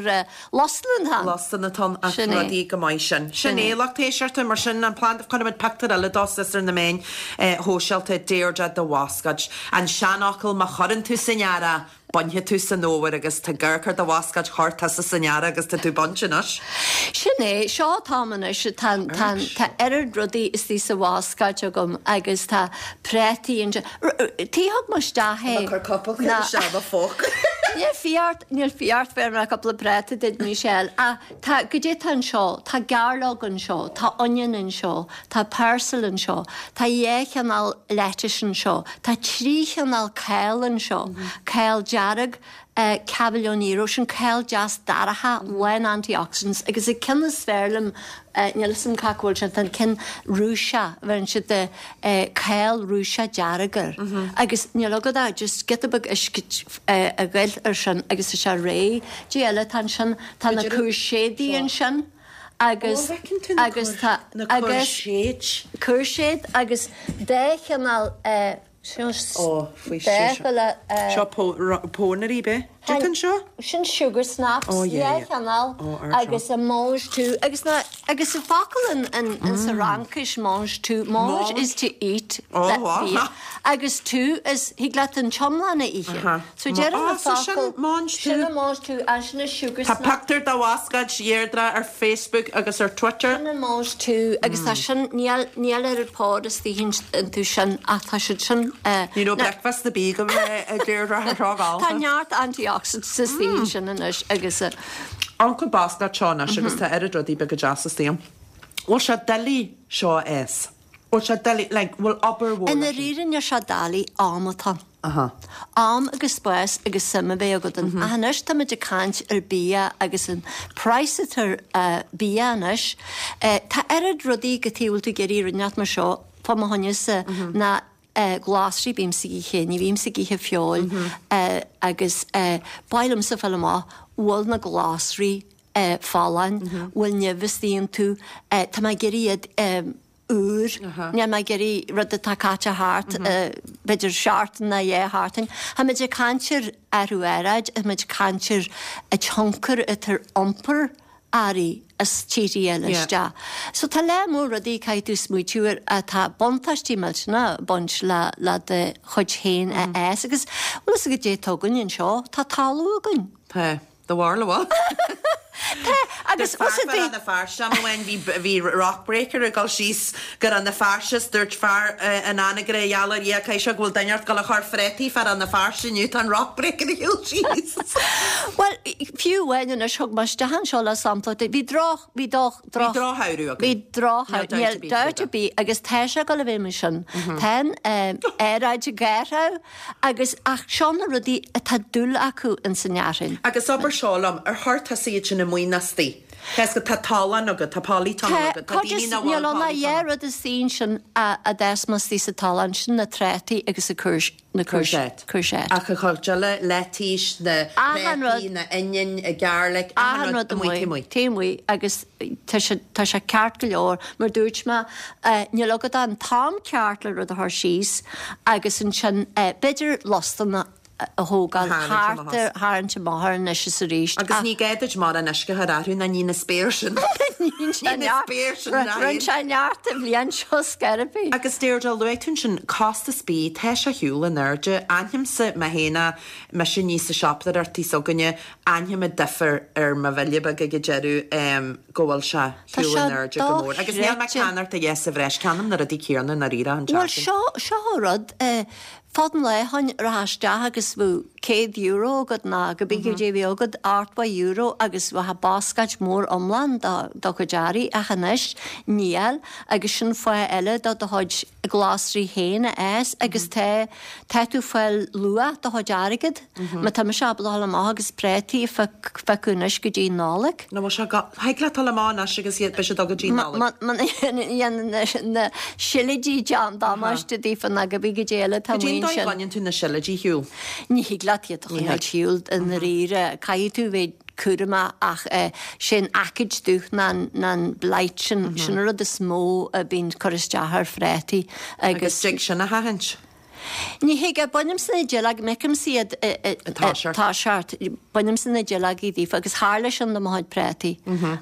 Lusanna atá ann. Lusanna atá ann ach rudaí go maith sin. Sin é, lucht éisteachta, mar sin an planda, cuirfimid pictiúr eile dó suas ar na meáin shóisialta, Deirdre de bhascáid. An seanfhocal má chuireann tú san earrach, bainfidh tú san fhómhar agus tá ag amharc ar do bhascáid, chuir tusa san earrach agus tá tú baint anois. Sin é, seo atáim anois, tá, tá, tá oiread rudaí istigh sa bhascáid agam agus tá prátaí ansin. Thug mé isteach é. Tá mé ag cur cúpla ceann isteach i mo phóca. Níl fiart, níl fiart bheir mé cúpla práta duit Michelle. Ach tá, goidé tá anseo, tá gairleog anseo, tá onion anseo, tá parsley anseo, tá dhá chineál lettuce anseo, tá trí chineál cál anseo, cál dearg, Cavolo nero, sin cál deas dorcha, lán antioxidants agus an ceann is fearr liom, níl 'fhios a'm cá bhfuil sé, tá an ceann Rúiseach, bheireann siad cál Rúiseach dearg air agus níl agat ach just giota beag uisce a ghoil ar sin agus tá sé réidh. Goidé eile atá ansin, tá na cúirséidí ansin agus agus tá agus cúirséid agus dá chineál Seo Ó, faoi seo. Seo pónairí, b'é? Cad é anseo? Sin sugar snaps, Ó, yeah, yeah. chineál Ó, ar agus a mange tout agus na agus an focal in in in sa Fhraincis mange tout, mange is to eat Ó, that wow. bia agus tout is thig leat an t-iomlán a ithe. Aha. So deireann Ó, an so sin focal mange sin tout. a mange tout agus sin a sugar Tá snap. pictiúr de bhascáid Dheirdre ar Facebook agus ar Twitter. Sin an mange tout agus tá sin, níl, níl oiread pod istigh iontu sin ach tá siad sin. Ní raibh bricfeasta ar bith agam a Dheirdre ar seo dhall. Tá neart antioxidants istigh ansin anois agus. Amharc an bhascáid seo anois agus tá oiread rudaí beaga deasa istigh ann. Bhfuil sé doiligh seo a fhás? Bhfuil sé doiligh, like, bhfuil obair mhór I ndáiríre níl sé doiligh, am atá ann. Aha. Am agus spás agus suim a bheith agat ann. Ach anois táimid ag caint ar bia agus an praghas atá ar bia anois. Tá oiread rudaí go tí a bhfuil tú ag iarraidh rud inteacht mar seo fá mo choinne-sa ná glasraí bímse ag ithe, ní bhímse ag ithe feoil agus ba mhaith liomsa fáil amach bhfuil na glasraí folláin, bhfuil nimh istigh iontu, tá mé ag iarraidh iad úr. Níl mé ag iarraidh rud atá caite thart, b'fhéidir seachtain nó dhá sheachtain. Táimid ag caint ar athrú aeráid, táimid ag caint ar an tionchar atá ar iompar earraí as tíortha eile isteach. So tá lear mór rudaí caithfidh tú smaoitiú air atá buntáistí millteanach ag baint le le do chuid féin a fhás agus bhfuil fhios agat goidé atá againn anseo, tá talamh againn. Tá. Do bharúil an bhfuil? Tá, agus Fear fé Rann na Feirste am amháin bhí bhí rock breaker ag dul síos go Rann na Feirste is dúirt fear in Anagaire gheall ar Dhia caithfidh sé go bhfuil duine ort dul a chur phréataí fé Rann na Feirste inniu tá an rock breaker ag shiúl síos. Bhuel, fiú amháin anois thug mé isteach anseo le sampla bhí droch, bhí droch, droch. Bhí drochshamhradh againn. Bhí drochshamhradh, níl dabht ar bith agus tá sé ag dul a bheith mar sin. Tá an aeráid ag athrú. Agus, ach seo na rudaí atá dúil acu ins an fhearthainn. Agus abair seo liom, ar chuir tusa iad sin? amuigh ná istigh. Cé go tá tollán agat, tá polytunnel agat, tá daoine nach bhfuil Níl ann ach polytunnel. dhá rud istigh ansin a d'fhás mé istigh sa tollán, sin na trátaí agus an na Courgette. Courgette. Ach an chuid eile, leitís, na Achan rud. préataí, na oinniúin, an garlic, achan Achan rud rud amuigh, amuigh. taobh amuigh. Taobh amuigh agus tá sé, tá sé ceart go leor, mar dúirt mé, níl agat an t-am ceart le rud a chur síos agus ansin b'fhéidir lostan a a thógáil A tharraingt amach thart ar, tharraingt amach air anois is arís Agus ach ní gá duit mórán uisce a chur orthu ná ní na spéir sin. Ní Ní na spéir sin ná Rinne sé neart an bhliain seo scor ar bith. Agus Deirdre, luaigh tú ansin costas bídh, tá sé ar shiúl in airde. Aithnímse mé féin é, mise aníos sa siopadóireacht s'againne, aithním an difear ar mo bhille beag ag an deireadh go bhfuil sé ar Tá shiúl sé in airde go mór. Agus níl mé ag dochreidte. ceannacht a dhath sa bhreis, ceannaím na rudaí céanna i ndáiríre an Bhuel tseachtain. seo, seo an rud, fad an lae ó shoin, rachfá isteach agus bheadh €100 agat ná cibé goidé a bhí agat, €80 agus bheadh bascáid mór iomlán do do chuid earraí ach anois níl agus sin fáth eile do do chuid glasraí féin a fhás agus tá tá tú fáil luach do chuid airgead. Má tá mise ábalta dhul amach agus prátaí a phiocadh anois go dtí Nollaig. Nó bhfuil sé go, thig leat dul amach anois agus iad, beidh siad agat go dtí Nollaig. Má na sileoidí déan damáiste daofa ná cibé goidé eile atá Cad é amuigh an dóigh a ansin. gcoinníonn tú na sileoidí ar shiúl? Ní thig leat iad a choinneáil ar shiúl i ndáiríre. Caithfidh tú bheith cúramach ach sé an aicíd dubh ná an blight sin, sin an rud is mó a bhíonn ag cur isteach ar phrátaí Agus agus. dtig sin a sheachaint? Ní thig, bainimse na duilleoga, m'fheicimse iad ag toiseacht, bainimse na duilleogaí daofa agus tharla sin do mo chuid prátaí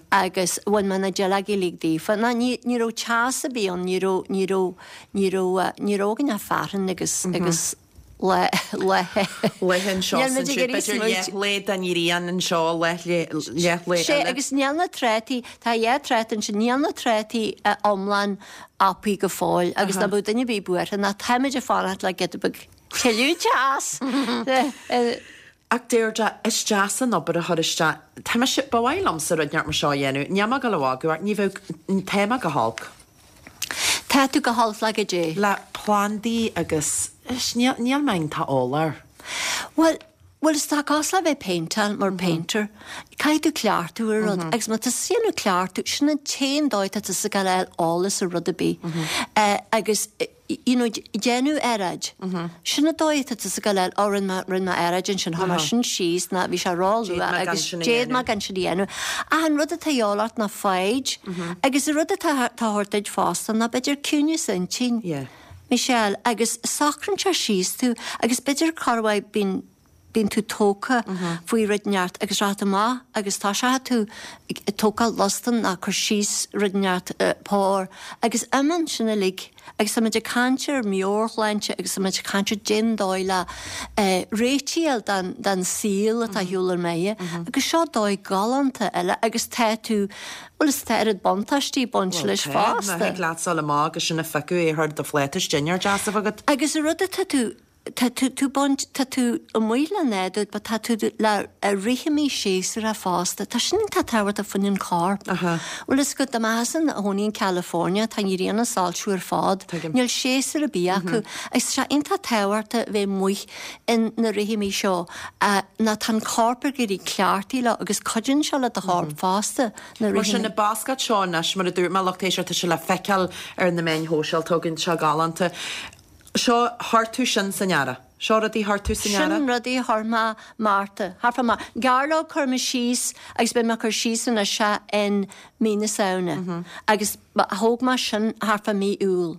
agus bhain mé na duilleogaí uilig daofa. Ná ní, ní raibh teas ar bith ann, ní raibh, ní raibh, ní raibh, ní raibh againn ach fearthainn agus, agus lá, lá. Laethe anseo Níl is muid ag ansiúd, iarraidh b'fhéidir smaoitiú. leathlae den ghrian anseo, leathlae Sé, eile. agus níl na trátaí, tá dhá tráta ansin, níl na trátaí iomlán apaí go fóill agus ná beadh duine ar bith buartha ná táimid ag fanacht le giota beag tuilleadh teas. Ach Deirdre, is deas an obair a chur isteach. Tá mise, ba mhaith liomsa rud inteacht mar seo a dhéanamh. Níl mé ag dul a mhagadh ort, ní bheadh, tá mé go holc. Tá tú go holc le goidé. Le plandaí agus, níl, níl mé iontach eolach air. Bhuel, Bhuel is tá cosúil le bheith ag péinteáil mar painter. Caithfidh tú cleachtadh ar rud agus má tá tusa ag déanamh cleachtadh, sin an t-aon dóigh tá tusa ag gabháil a fháil eolas ar rud ar bith. Agus you know déanamh earráid. Sin an dóigh atá tusa ag gabháil a fháil, oh rinne mé, rinne mé earráid ansin, chuir mé sin síos ná bhí sé ró-luath agus d'fhéad mé gan sin a dhéanamh. Ach an rud atá a dhíobháil ort ná foighid agus an rud atá a thabhairt duit fosta ná b'fhéidir ciúineas intinn. Michelle, Agus socraíonn sé síos tú agus b'fhéidir corruair bíonn, bíonn tú tógtha faoi rud inteacht agus rachaidh tú amach agus toiseochaidh tú ag tógáil lostan ná cur síos rud inteacht pór agus imíonn sin uilig agus tá muid ag caint ar meabhairshláinte agus tá muid ag caint ar cén dóigh le réitigh a fháil don, don saol atá ar shiúl ár mbeatha agus seo dóigh galánta eile agus tá tú Bhuel, is tá oiread buntáistí ag baint leis Bhuel, tá, fosta. má thig leat dul amach agus sin a phiocadh é a chur i do phláta is dinnéar deas a bheith agat. Agus an rud atá tú, tá tú, tú baint, tá tú amuigh le nádúr but tá tú le rithimí séasúrtha fosta. Tá sin iontach tábhachtach fá choinne an corp. Aha. Bhuel, is go, dá mbeifeása i do chónaí in California, tá an ghrian ag soilsiú ar fad. Tuigim. Níl séasúr ar bith acu. Agus tá sé iontach tábhachtach bheith amuigh in na rithimí seo ná tá an corp ag éirí cleachtaithe leo agus cuidíonn sé le do chorp fosta na Mar sin, na bascáid seo anois, mar a dúirt mé, lucht éisteachta, tá sé le feiceáil ar na meáin shóisialta againn, seo galánta. Seo, chuir tú sin san earrach. Seo rudaí chuir tú san earrach? Sin rudaí a chuir mé Márta. Thart fá Márta. Gairleog chuir mé síos agus beidh mé ag cur síos anois é in mí na Samhna. Agus Thóg mé sin thart fá mí Iúil.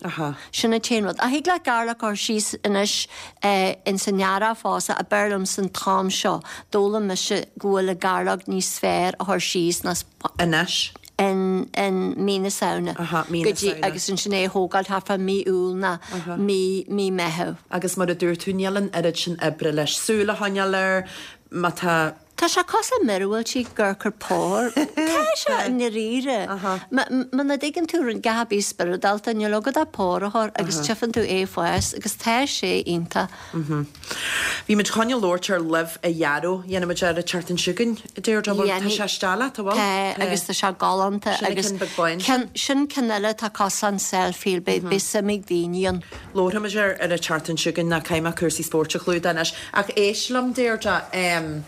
Sin an t-aon rud. Ach thig leat gairleog a chur síos anois ins an earrach fosta ach b'fhearr liomsa an t-am seo. D'fhoghlaim mise go bhfuil an gairleog níos fearr a chur síos ná Anois? in in mí na Samhna. Aha, mí na Go dtí Samhna. agus ansin é a thógáil thart fá mí Iúil ná mí mí Meitheamh. Agus mar a dúirt tú, níl an oiread sin oibre leis. Súil a choinneáil air, má tá. Tá sé cosúil le míorúiltí ag cur pór. Tá sé i ndáiríre. Muna dtuigeann tú a dhath ar bith spioradálta, níl agat ach pór a chur agus tchífeann tú é ag fás agus tá sé iontach. Bhí muid chun labhairt ar luibh a ghearradh. Dhéanfaidh muid ar an tseachtain seo chugainn, a Deirdre, bhfuil? Tá sé isteach leat, an bhfuil? Tá, agus tá sé galánta. Sin an ceann beag bán sin. Sin ceann eile atá cosúil le self-heal, beidh suim ag daoine ann. Labharfaidh muid air ar an tseachtain seo chugainn ná caithfidh mé cúrsaí spóirt a chlúdach anois. Ach éist liom, Deirdre, em.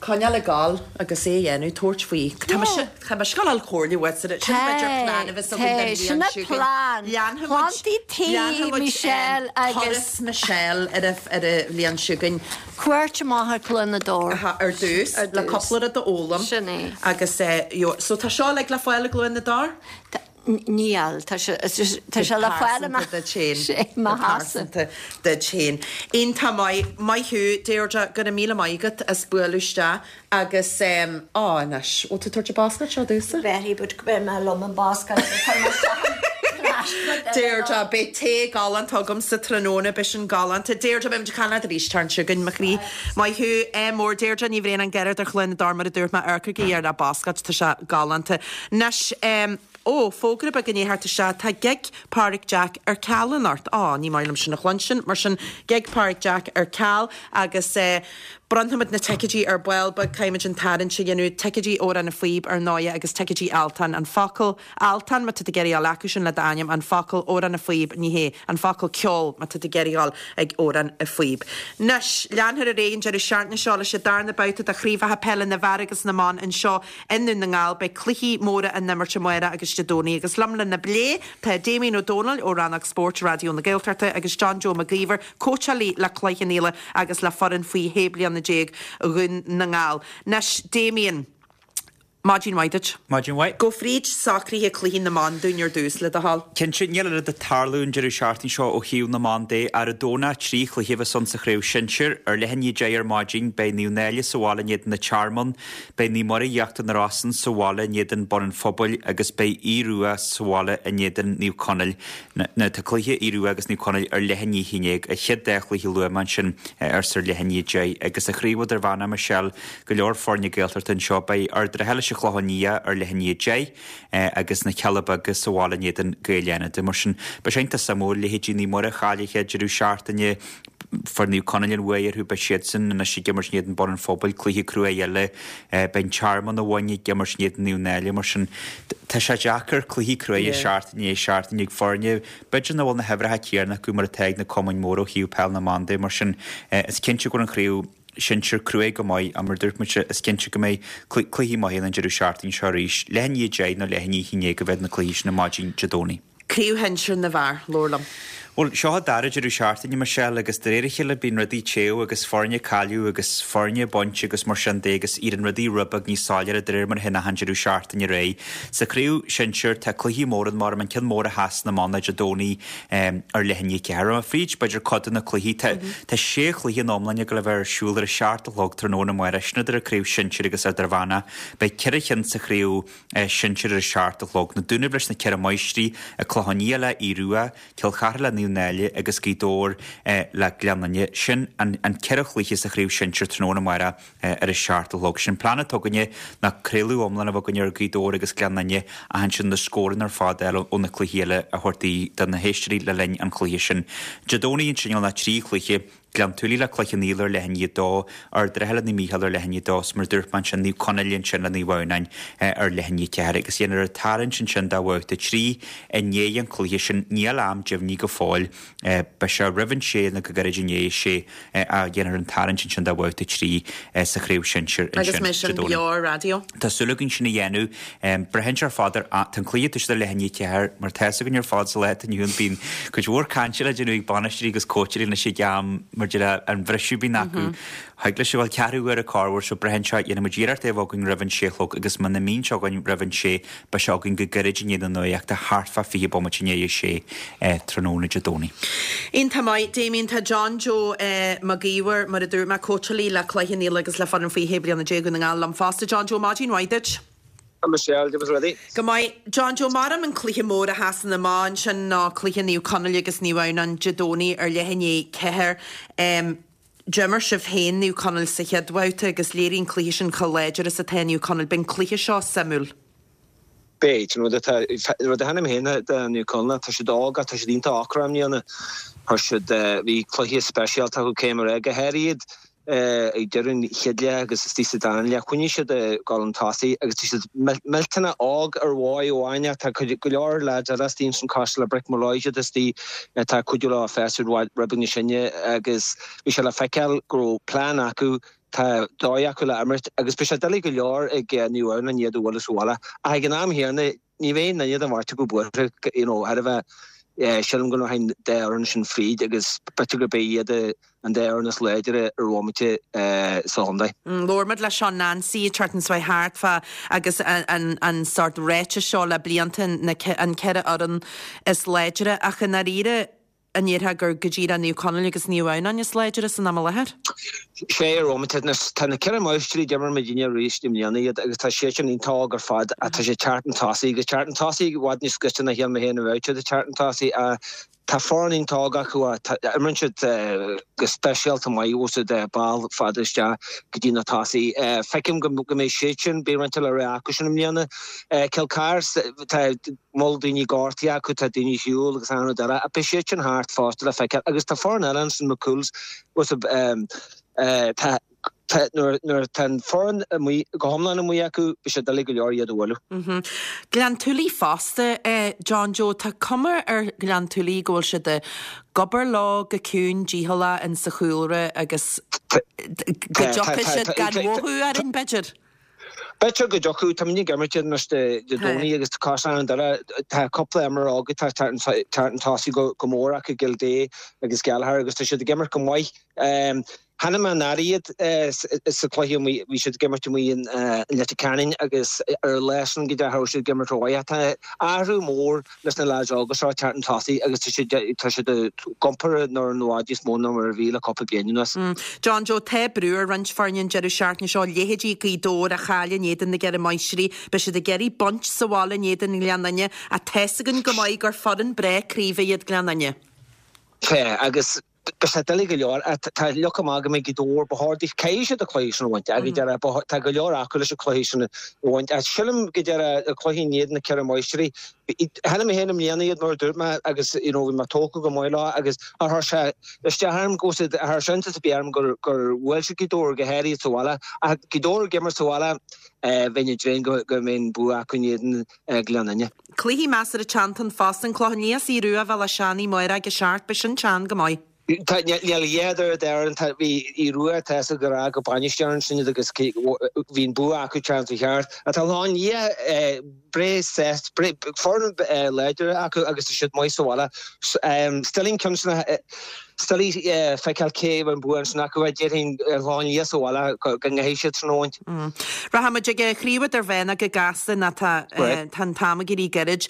Coinneáil ag gabháil agus é a dhéanamh, tabhairt faoi. Tá mise, tá mise ag gabháil a fháil comhairle uait, sin b'fhéidir plean a bheas againn don bhliain Sin seo chugainn. plean. Leanfaidh muid, Plandaí tí leanfaidh muid Michelle agus. turas Michelle ar a, ar an bhliain seo chugainn. Cuairt amach ar Chluain na dTor. Aha, ar dtús, Ar le dtús. cúpla rud a fhoghlaim. Sin é. Agus eh, you know, so tá seo uilig le fáil i gCluain na dTor? Tá, Níl, tá sé tá sé le fáil i mo Go pearsanta duit féin. Iontach maith, maith thú Deirdre, go raibh míle maith agat as bualadh isteach agus á anois, bhfuil tú ag tabhairt an bascáid seo domhsa? Bheithí but beidh mé liom an bascáid so cuir mé isteach an plastic Deirdre, beidh tae galánta agam sa tráthnóna, beidh sin galánta. Deirdre, beidh muid ag caint leat arís an tseachtain seo chugainn, mo chroí. Maith thú, ádh mór Deirdre Ní Bhraonáin Garda ar Chluain na dTor mar a dúirt mé, amharcaigí ar a bascáid, tá sé galánta. Anois, ó, fógra beag i ndiaidh theacht isteach, tá gig Páraic Jack ar ceal anocht. Á, ní maith liom sin a chluinstin, mar sin, gig Páraic Jack ar ceal agus eh, bronnfaimid na ticéidí ar ball beag, caithfimid an tarraingt a dhéanamh, ticéidí Amhrán na Phíob ar ndóighe agus ticéidí Altan, an focal Altan má tá tú ag iarraidh a fháil acu sin le d'ainm, an focal Amhrán na Phíob, ní hé, an focal ceol má tá tú ag iarraidh a fháil ag Amhrán na Phíob. Anois, leanfar ar aghaidh an deireadh seachtaine seo leis an darna babhta de chraobhacha peile na bhfear agus na mban anseo I nDún na nGall, beidh cluichí móra á n-imirt amárach agus Dé Domhnaigh agus liom lena bplé tá Damien Ó Dónaill ó Rannóg Spóirt Raidió na Gaeltachta agus John Joe Mac Íomhair, cóitseálaí le Cloich Cheann Fhaola agus le foireann faoi shé bliana déag Dhún na nGall. Anois, Damien, maidin mhaith duit. Maidin mhaith. Gabh fríd socruithe cluichí na mban dúinn ar dtús, le do thoil. Cinnte, níl oiread ag tarlú an deireadh seachtaine seo ó thaobh na mban de. Ar an Domhnach, 3 chluiche a bheas ann sa chraobh shinsir. Ar leath i ndiaidh 10 ar maidin, beidh Naomh Náille sa bhaile in éadan an Tearmann. Beidh Naomh Muire Íochtar na Rosann sa bhaile in éadan Bun an Phobail agus beidh Aodh Rua sa bhaile in éadan Naomh Conaill. Now tá cluiche Aodh Rua agus Naomh Conaill ar leath i ndiaidh 11, an chéad dá chluiche a luaigh mé ansin ar ar leath i ndiaidh 10. Agus sa chraobh idirmheánach, Michelle, go leor foirne Gaeltachta anseo. Beidh Ard an Rátha leis an Chlochán Liath ar leath i ndiaidh 10 agus na Cealla Beaga sa bhaile in éadan Gaeil Fhánada. Mar sin, beidh sé iontach suimiúil, leithéidí Naomh Muire cáilithe deireadh seachtaine, Fuair Naomh Conaill an bhuaidh orthu, beidh siadsan anois ag imirt in éadan Bun an Phobail, cluiche cruaidh eile. Beidh an Tearmann abhainn ag imirt in éadan Naomh Náille, mar sin tá sé deacair, cluichí cruaidh seachtain i ndiaidh seachtaine ag foirne, b'fhéidir nach bhfuil na huimhreacha céanna acu mar atá ag na cumainn mhóra ó thaobh peil na mban de, mar sin is cinnte go bhfuil an chraobh sinsir cruaidh go maith ach mar a dúirt muid is cinnte go mbeidh cluichí maithe ann an deireadh seachtaine seo arís. Leath i ndiaidh 10 nó leath i ndiaidh 11 a bheidh na cluichí sin ar maidin Dé Domhnaigh. Craobh Shinsir na bhFear, labhair liom. Bhuel, seo an dara deireadh seachtaine, Michelle, agus de réir a chéile bíonn rudaí ag téamh agus foirne ag cailleadh agus foirne ag baint agus mar sin de agus éiríonn rudaí rud beag níos soiléire de réir mar a théann achan deireadh seachtaine ar aghaidh. Sa chraobh shinsir tá cluichí móra ann mar an ceann mór a sheasann amach ná Dé Domhnaigh ar leath i ndiaidh 4. Rachaidh mé fríd b'fhéidir cuid de na cluichí. Tá tá sé chluiche in iomláine ag dul a bheith ar siúl ar a seacht a chlog tráthnóna amárach, sin idir an craobh shinsir agus idirmheánach. Beidh ceithre cheann sa chraobh sinsir ar a seacht a chlog. Na Dúnaibh leis na Ceithre Máistrí, An Clochán Liath le Aodh Rua, Cill Chartha le Naomh Náille agus Gaoth Dobhair le Gleann Fhinne. Sin an ceithre chluiche sa chraobh sinsir tráthnóna amárach ar a seacht a chlog. Sin plean atá againne ná craoladh iomlán a bheith againne ar Ghaoth Dobhair agus Gleann Fhinne ach ansin na scóranna ar fad a fháil ó na cluichí eile a thabhairt do na héisteoirí le linn an chluiche sin. Dé Domhnaigh ansin níl ach 3 chluiche. Gleann tSúilí le Cloich Cheann Fhaola ar leath i ndiaidh a dó, Ard an Rátha le Naomh Mícheál ar leath i ndiaidh a dó, is mar a dúirt mé ansin, Naomh Conaill ansin le Naomh Adhamhnáin ar leath i ndiaidh a ceathair. Agus dhéanfar an tarraingt ansin do bhabhta 3 i ndiaidh an chluiche sin. Níl am deimhnithe go fóill. Beidh sé roimh an sé nó go gairid i ndiaidh a sé a dhéanfar an tarraingt ansin do bhabhta 3 sa chraobh shinsir ansin Agus mbeidh sin beo ar raidió? Tá súil againn sin a dhéanamh. Braitheann sé ar fad ar, tá an cluiche ag toiseacht ar leath i ndiaidh a ceathair, mar tá fhios againn ar fad sa lá atá inniu ann bíonn cuid mhór cainte le déanamh ag bainisteoirí agus cóitseálaí anois ag am mar de le an bhriseadh a bhíonn acu. Thig leis a bheith ceathrú uaire corruair so braitheann sé, dhéanfaidh muid iarracht é a bheith againn roimh an sé a chlog agus muna mbíonn sé againn roimh an sé beidh sé againn go gairid i ndiaidh na nuachta thart fá 20 bomaite i ndiaidh a sé tráthnóna Dé Domhnaigh. Iontach maith, Damien. Tá John Joe Mac Íomhair, mar a dúirt mé, cóitseálaí le Cloich Cheann Fhaola agus le foireann faoi 16 bliana Dhún na nGall liom fosta. John Joe, maidin mhaith duit. Hi Michelle, cad é rudaí? Go maith. John Joe, maram an cluiche mór a sheasann amach ansin ná cluiche Naomh Conaill agus Naomh Adhamhnáin Dé Domhnaigh ar leath i ndiaidh 4. D'imir sibh féin Naomh Conaill sa chéad bhabhta agus léirigh an cluiche sin chomh láidir is atá Naomh Conaill. Beidh an cluiche seo suimiúil. Beidh. An rud atá, rud a thaitním féin de Naomh Conaill ná tá siad óg ach tá siad iontach ocrach i mbliana. Chuir siad, bhí cluiche speisialta acu cé mar é, go háirid ag deireadh an chéad leath agus istigh sa dara leath. Choinnigh siad ag dul chun tosaigh agus tá siad millteanach óg ar dhóigh amháin ach tá cuid, go leor lads eile istigh ansin cosúil le Brick Molloy siad istigh atá ag cuidiú leo fás rud beag níos sine agus bhí sé le feiceáil go raibh plean acu. Tá dóigh acu le imirt agus beidh sé doiligh go leor ag Naomh Adhamhnáin iad a bhualadh sa bhaile. Ach ag an am chéanna, ní bheidh aon duine den bheirt acu buartha, you know, thar a bheith, sílim go rachaidh an dá fhoireann sin fríd agus b'fhéidir gurb é iad an dá fhoireann is láidre ar bhomaite sa chontae. Labhair muid le Seán Nancy an tseachtain seo thart fá agus an sórt ráiteas seo le blianta na an 4 fhoireann is láidre ach i ndáiríre an ndéarfá gur go díreach Naomh Conaill agus Naomh Adhamhnáin is láidre san am i láthair? Sé ar bhomaite anois. Tá na Ceithre Máistrí, d'imir muidinne arís i mbliana iad agus tá siad sin iontach óg ar fad ach tá siad ag teacht chun tosaigh agus teacht chun tosaigh i bhfad níos gaiste ná shíl mé féin a bheadh siad ag teacht chun tosaigh ach tá foireann iontach óg acu ach imríonn siad go speisialta maith bhfuil a fhios agat ball fada isteach go dtí na tosaithe. Feicim go mbeidh siad sin, beidh roinnt le rá acu sin i mbliana. Cill Chartha, tá bhfuil daoine gortaithe acu, tá daoine ar shiúl agus achan rud eile, ach beidh siad sin thart fosta le feiceáil. Agus tá foireann eile ansin, McCool's, bhfuil a fhios agat, tá, tá, nuair, nuair atá an foireann amuigh, go hiomlán amuigh acu, beidh sé doiligh go leor iad a bhualadh. Gleann tSúilí fosta, John Joe, tá cuma ar Ghleann tSúilí go bhfuil siad ag obair leo go ciúin dícheallach in sa chúlra agus go dtiocfaidh siad gan mhothú orainn, b'fhéidir. B'fhéidir go dtiocfadh, tá muid ag imirt iad anois Dé Domhnaigh agus tá cosán an dara, tá cúpla imreoir óg atá ag teacht chun tosaigh go mór acu, Gildea agus Gallagher agus tá siad ag imirt go maith. Chonaic mé anuraidh iad sa chluiche amuigh, bhí siad ag imirt amuigh in Leitir Ceanainn agus ar an lá sin go dea cha raibh siad ag imirt rómhaith. Tá athrú mór leis na leaids óga seo ag teacht chun tosaigh agus tá siad tá siad ag iompar an fhoireann i bhfad níos mó ná mar a bhí le cúpla bliain anuas. John Joe, tá brú ar roinnt foirne an deireadh seachtaine seo, leithéidí Gaoth Dobhair a chaill in éadan na gCeithre Máistrí, beidh siad ag iarraidh baint sa bhaile in éadan Ghleann Fhinne ach tá's againn go maith gur foireann breá craoibhe iad Gleann Fhinne. Tá, agus Beidh sé doiligh go leor. Tá leac amach go mbeidh Gaoth Dobhair, ba chóir daofa, caithfidh siad an cluiche sin a bhaint. Ach go deireadh, tá go leor acu leis an cluiche sin a bhaint. Ach sílim go deireadh an cluiche in éadan na Ceithre Máistrí, chonaic mé féin i mbliana iad mar a dúirt mé agus you know bhí mé tógtha go maith leo agus ar chuir sé isteach orm go bhfuil siad, chuir sé iontas ar bith orm gur gur bhuail siad Gaoth Dobhair go háirithe sa bhaile. Ach Gaoth Dobhair ag imirt sa bhaile, bheinn ag dréim go mbeidh an bua acu in éadan Gleann Fhinne. Cluichí measartha teanntan fosta, An Clochán Liath 's Aodh Rua a bheith le Seánie amárach ag a 7, beidh sin teann go maith. Tá, níl a dhath ar deireadh, tá, bhí Aodh Rua tá fhios ag go raibh go bainisteoir ansin iad agus bhí an bua acu teann sa cheart. Tá an Clochán Liath breá sásta, foireann láidir acu agus tá siad maith sa bhaile. Still ceann Is doiligh feiceáil cé a bheidh an bua ansin acu. Déarfainn an Clochán Liath sa bhaile go gcaithfidh siad sin a bhaint. Rachaidh muid ag an chraobh idirmheánach go gasta nó tá an t-am ag éirí gairid.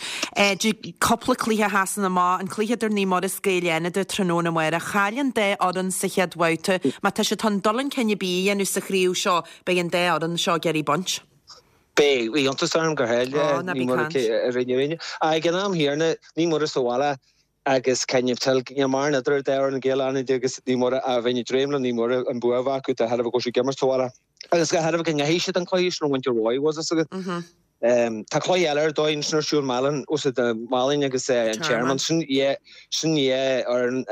Cúpla cluiche a sheasann amach, an cluiche idir Naomh Muire is Gaeil Fhánada tráthnóna amárach. Chaill an dá fhoireann sa chéad bhabhta. Má tá siad chun dul chun cinn ar bith a dhéanamh sa chraobh seo, beidh an dá fhoireann seo ag iarraidh baint. Beidh. Bhí iontas orm gur chaill Naomh Muire i rith na roinne. Ach ag an am chéanna, Naomh Muire sa bhaile, Agus cén toil, níl mórán idir an dá fhoireann Gaeil Fhánada agus Naomh Muire ach bheinn ag dréim le Naomh Muire an bua a bheith acu de thairbhe go bhfuil siad ag imirt sa bhaile. Agus de thairbhe go ngeafaidh siad an cluiche sin a bhaint ar mhaith, bhfuil a fhios agat. Tá cluiche eile ar dóigh ansin ar siúl Málainn, bhfuil a fhios agat, Málainn agus an Tearmann. Sin dhá, sin dhá fhoireann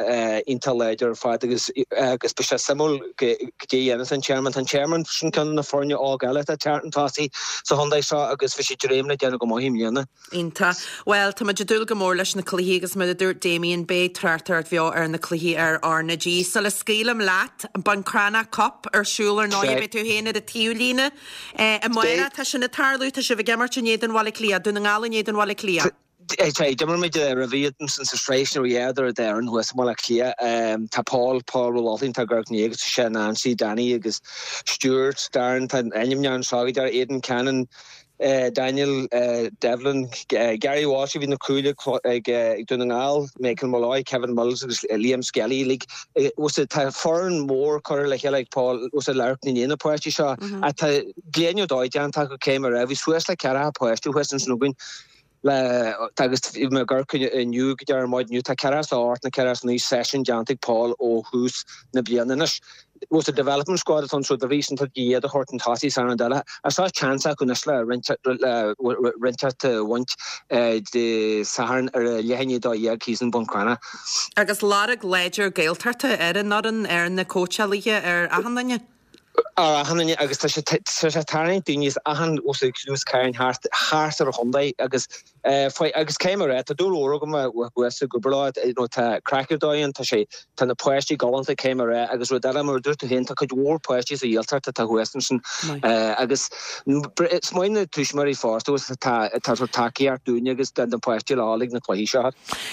iontach láidir ar fad agus agus beidh sé suimiúil goidé a dhéanfas an Tearmann. Tá an Tearmann, sin ceann de na foirne óga eile atá ag teacht chun tosaigh sa chontae seo agus bhí siad ag dréim le déanamh go maith i mbliana. Iontach. Bhuel, tá muid ag dúil go mór leis na cluichí agus mar a dúirt Damien, beidh tráchtaireacht bheo ar na cluichí ar R na G. Sula scaoilim leat, Buncrana Cup ar siúl ar ndóigh, beidh tú féin ar an taobhlíne. Amárach tá sin ag tarlú, tá sibh ag imirt in éadan Bhaile Átha Cliath, Dún na nGall in éadan Bhaile Átha Cliath. Tá, d'imir muid roimhe iad ansin sa sraith sin ó dheas ar Éirinn thuas i mBaile Átha Cliath. Tá Paul, Paul Ó Loughlin, tá Gareth Ní agus tá sé Nancy, Danny agus Stuart, Darren, tá ainmneacha anseo go deireadh, Aidan Cannon, Daniel Devlin, Gary Walsh a bhí na cúil ag Dún na nGall, Michael Molloy, Kevin Mills agus Liam Skelly uilig. Tá foireann mhór curtha le chéile ag Paul le amharc i ndiaidh na páistí seo ach tá gléineadh dóigh déanta acu cé mar a bhí suas le 40 páiste thuas ansin againn le agus bhí mé ag amharc inniu go deireadh maidin inniu tá 48 nó 49 seisiún déanta ag Paul ó thús na bliana anois. Bhuel sa development squad atá anseo dá bhrí sin tá iad a thabhairt chun tosaigh san rud eile. Ach seo chance acu anois le roinnt a bhaint Dé Sathairn ar a leath i ndiaidh 12 thíos in Buncrana. Agus lorg láidir Gaeltachta ar an fhoireann, ar na cóitseálaithe, ar achan duine. Ar achan duine agus tá sé tá sé ag tarraingt daoine as achan os a chluas cairn thart thart ar an chontae agus faoi agus caithfidh mé a rá tá dúil mhór agam a bheith ag obair leo you know tá craic ar dóigh ann tá sé tá na páistí galánta caithfidh mé a rá agus rud eile mar a dúirt tú féin tá cuid mhór páistí sa Ghaeltacht atá thuas ansin agus is maith na tuismitheoirí fosta agus atá atá ag tabhairt tacaíocht dúinne agus do na páistí le dhul ag na cluichí seo.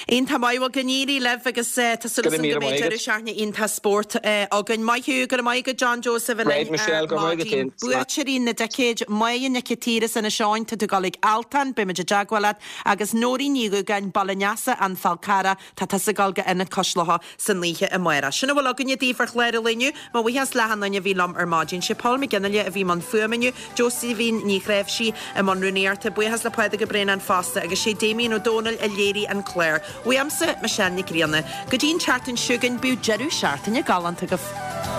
Iontach maith, bhuel go n-éirí libh agus tá súil agam go mbeidh deireadh seachtaine iontach spóirt againn. Maith thú, go raibh maith agat John Joseph a linn ar maidin. Buaiteoirí na dticéid, Máire Nic an tSaoir as Inis Eoghain, tá tú ag dul ag Altan, beidh muid i dteagmháil leat, agus Nóirín Ní Dhúgáin, Baile an Easa, An Fál Carrach, Tá tusa ag dul go Ionad Cois Locha san oíche amárach. Sin a bhfuil againne daoibh ar chlár an lae inniu. Mo bhuíochas le achan duine a bhí liom ar maidin. Sé Paul McGinley a bhí i mbun fuaime inniu, Josephine Ní Chnáimhsí i mbun rúnaíochta. Buíochas le Pádraig Ó Braonáin fosta agus sé Damien Ó Dónaill a léirigh an clár. Uaimse, Michelle Nic Grianna. Go dtí an tseachtain seo chugainn, bíodh deireadh seachtaine galánta agaibh.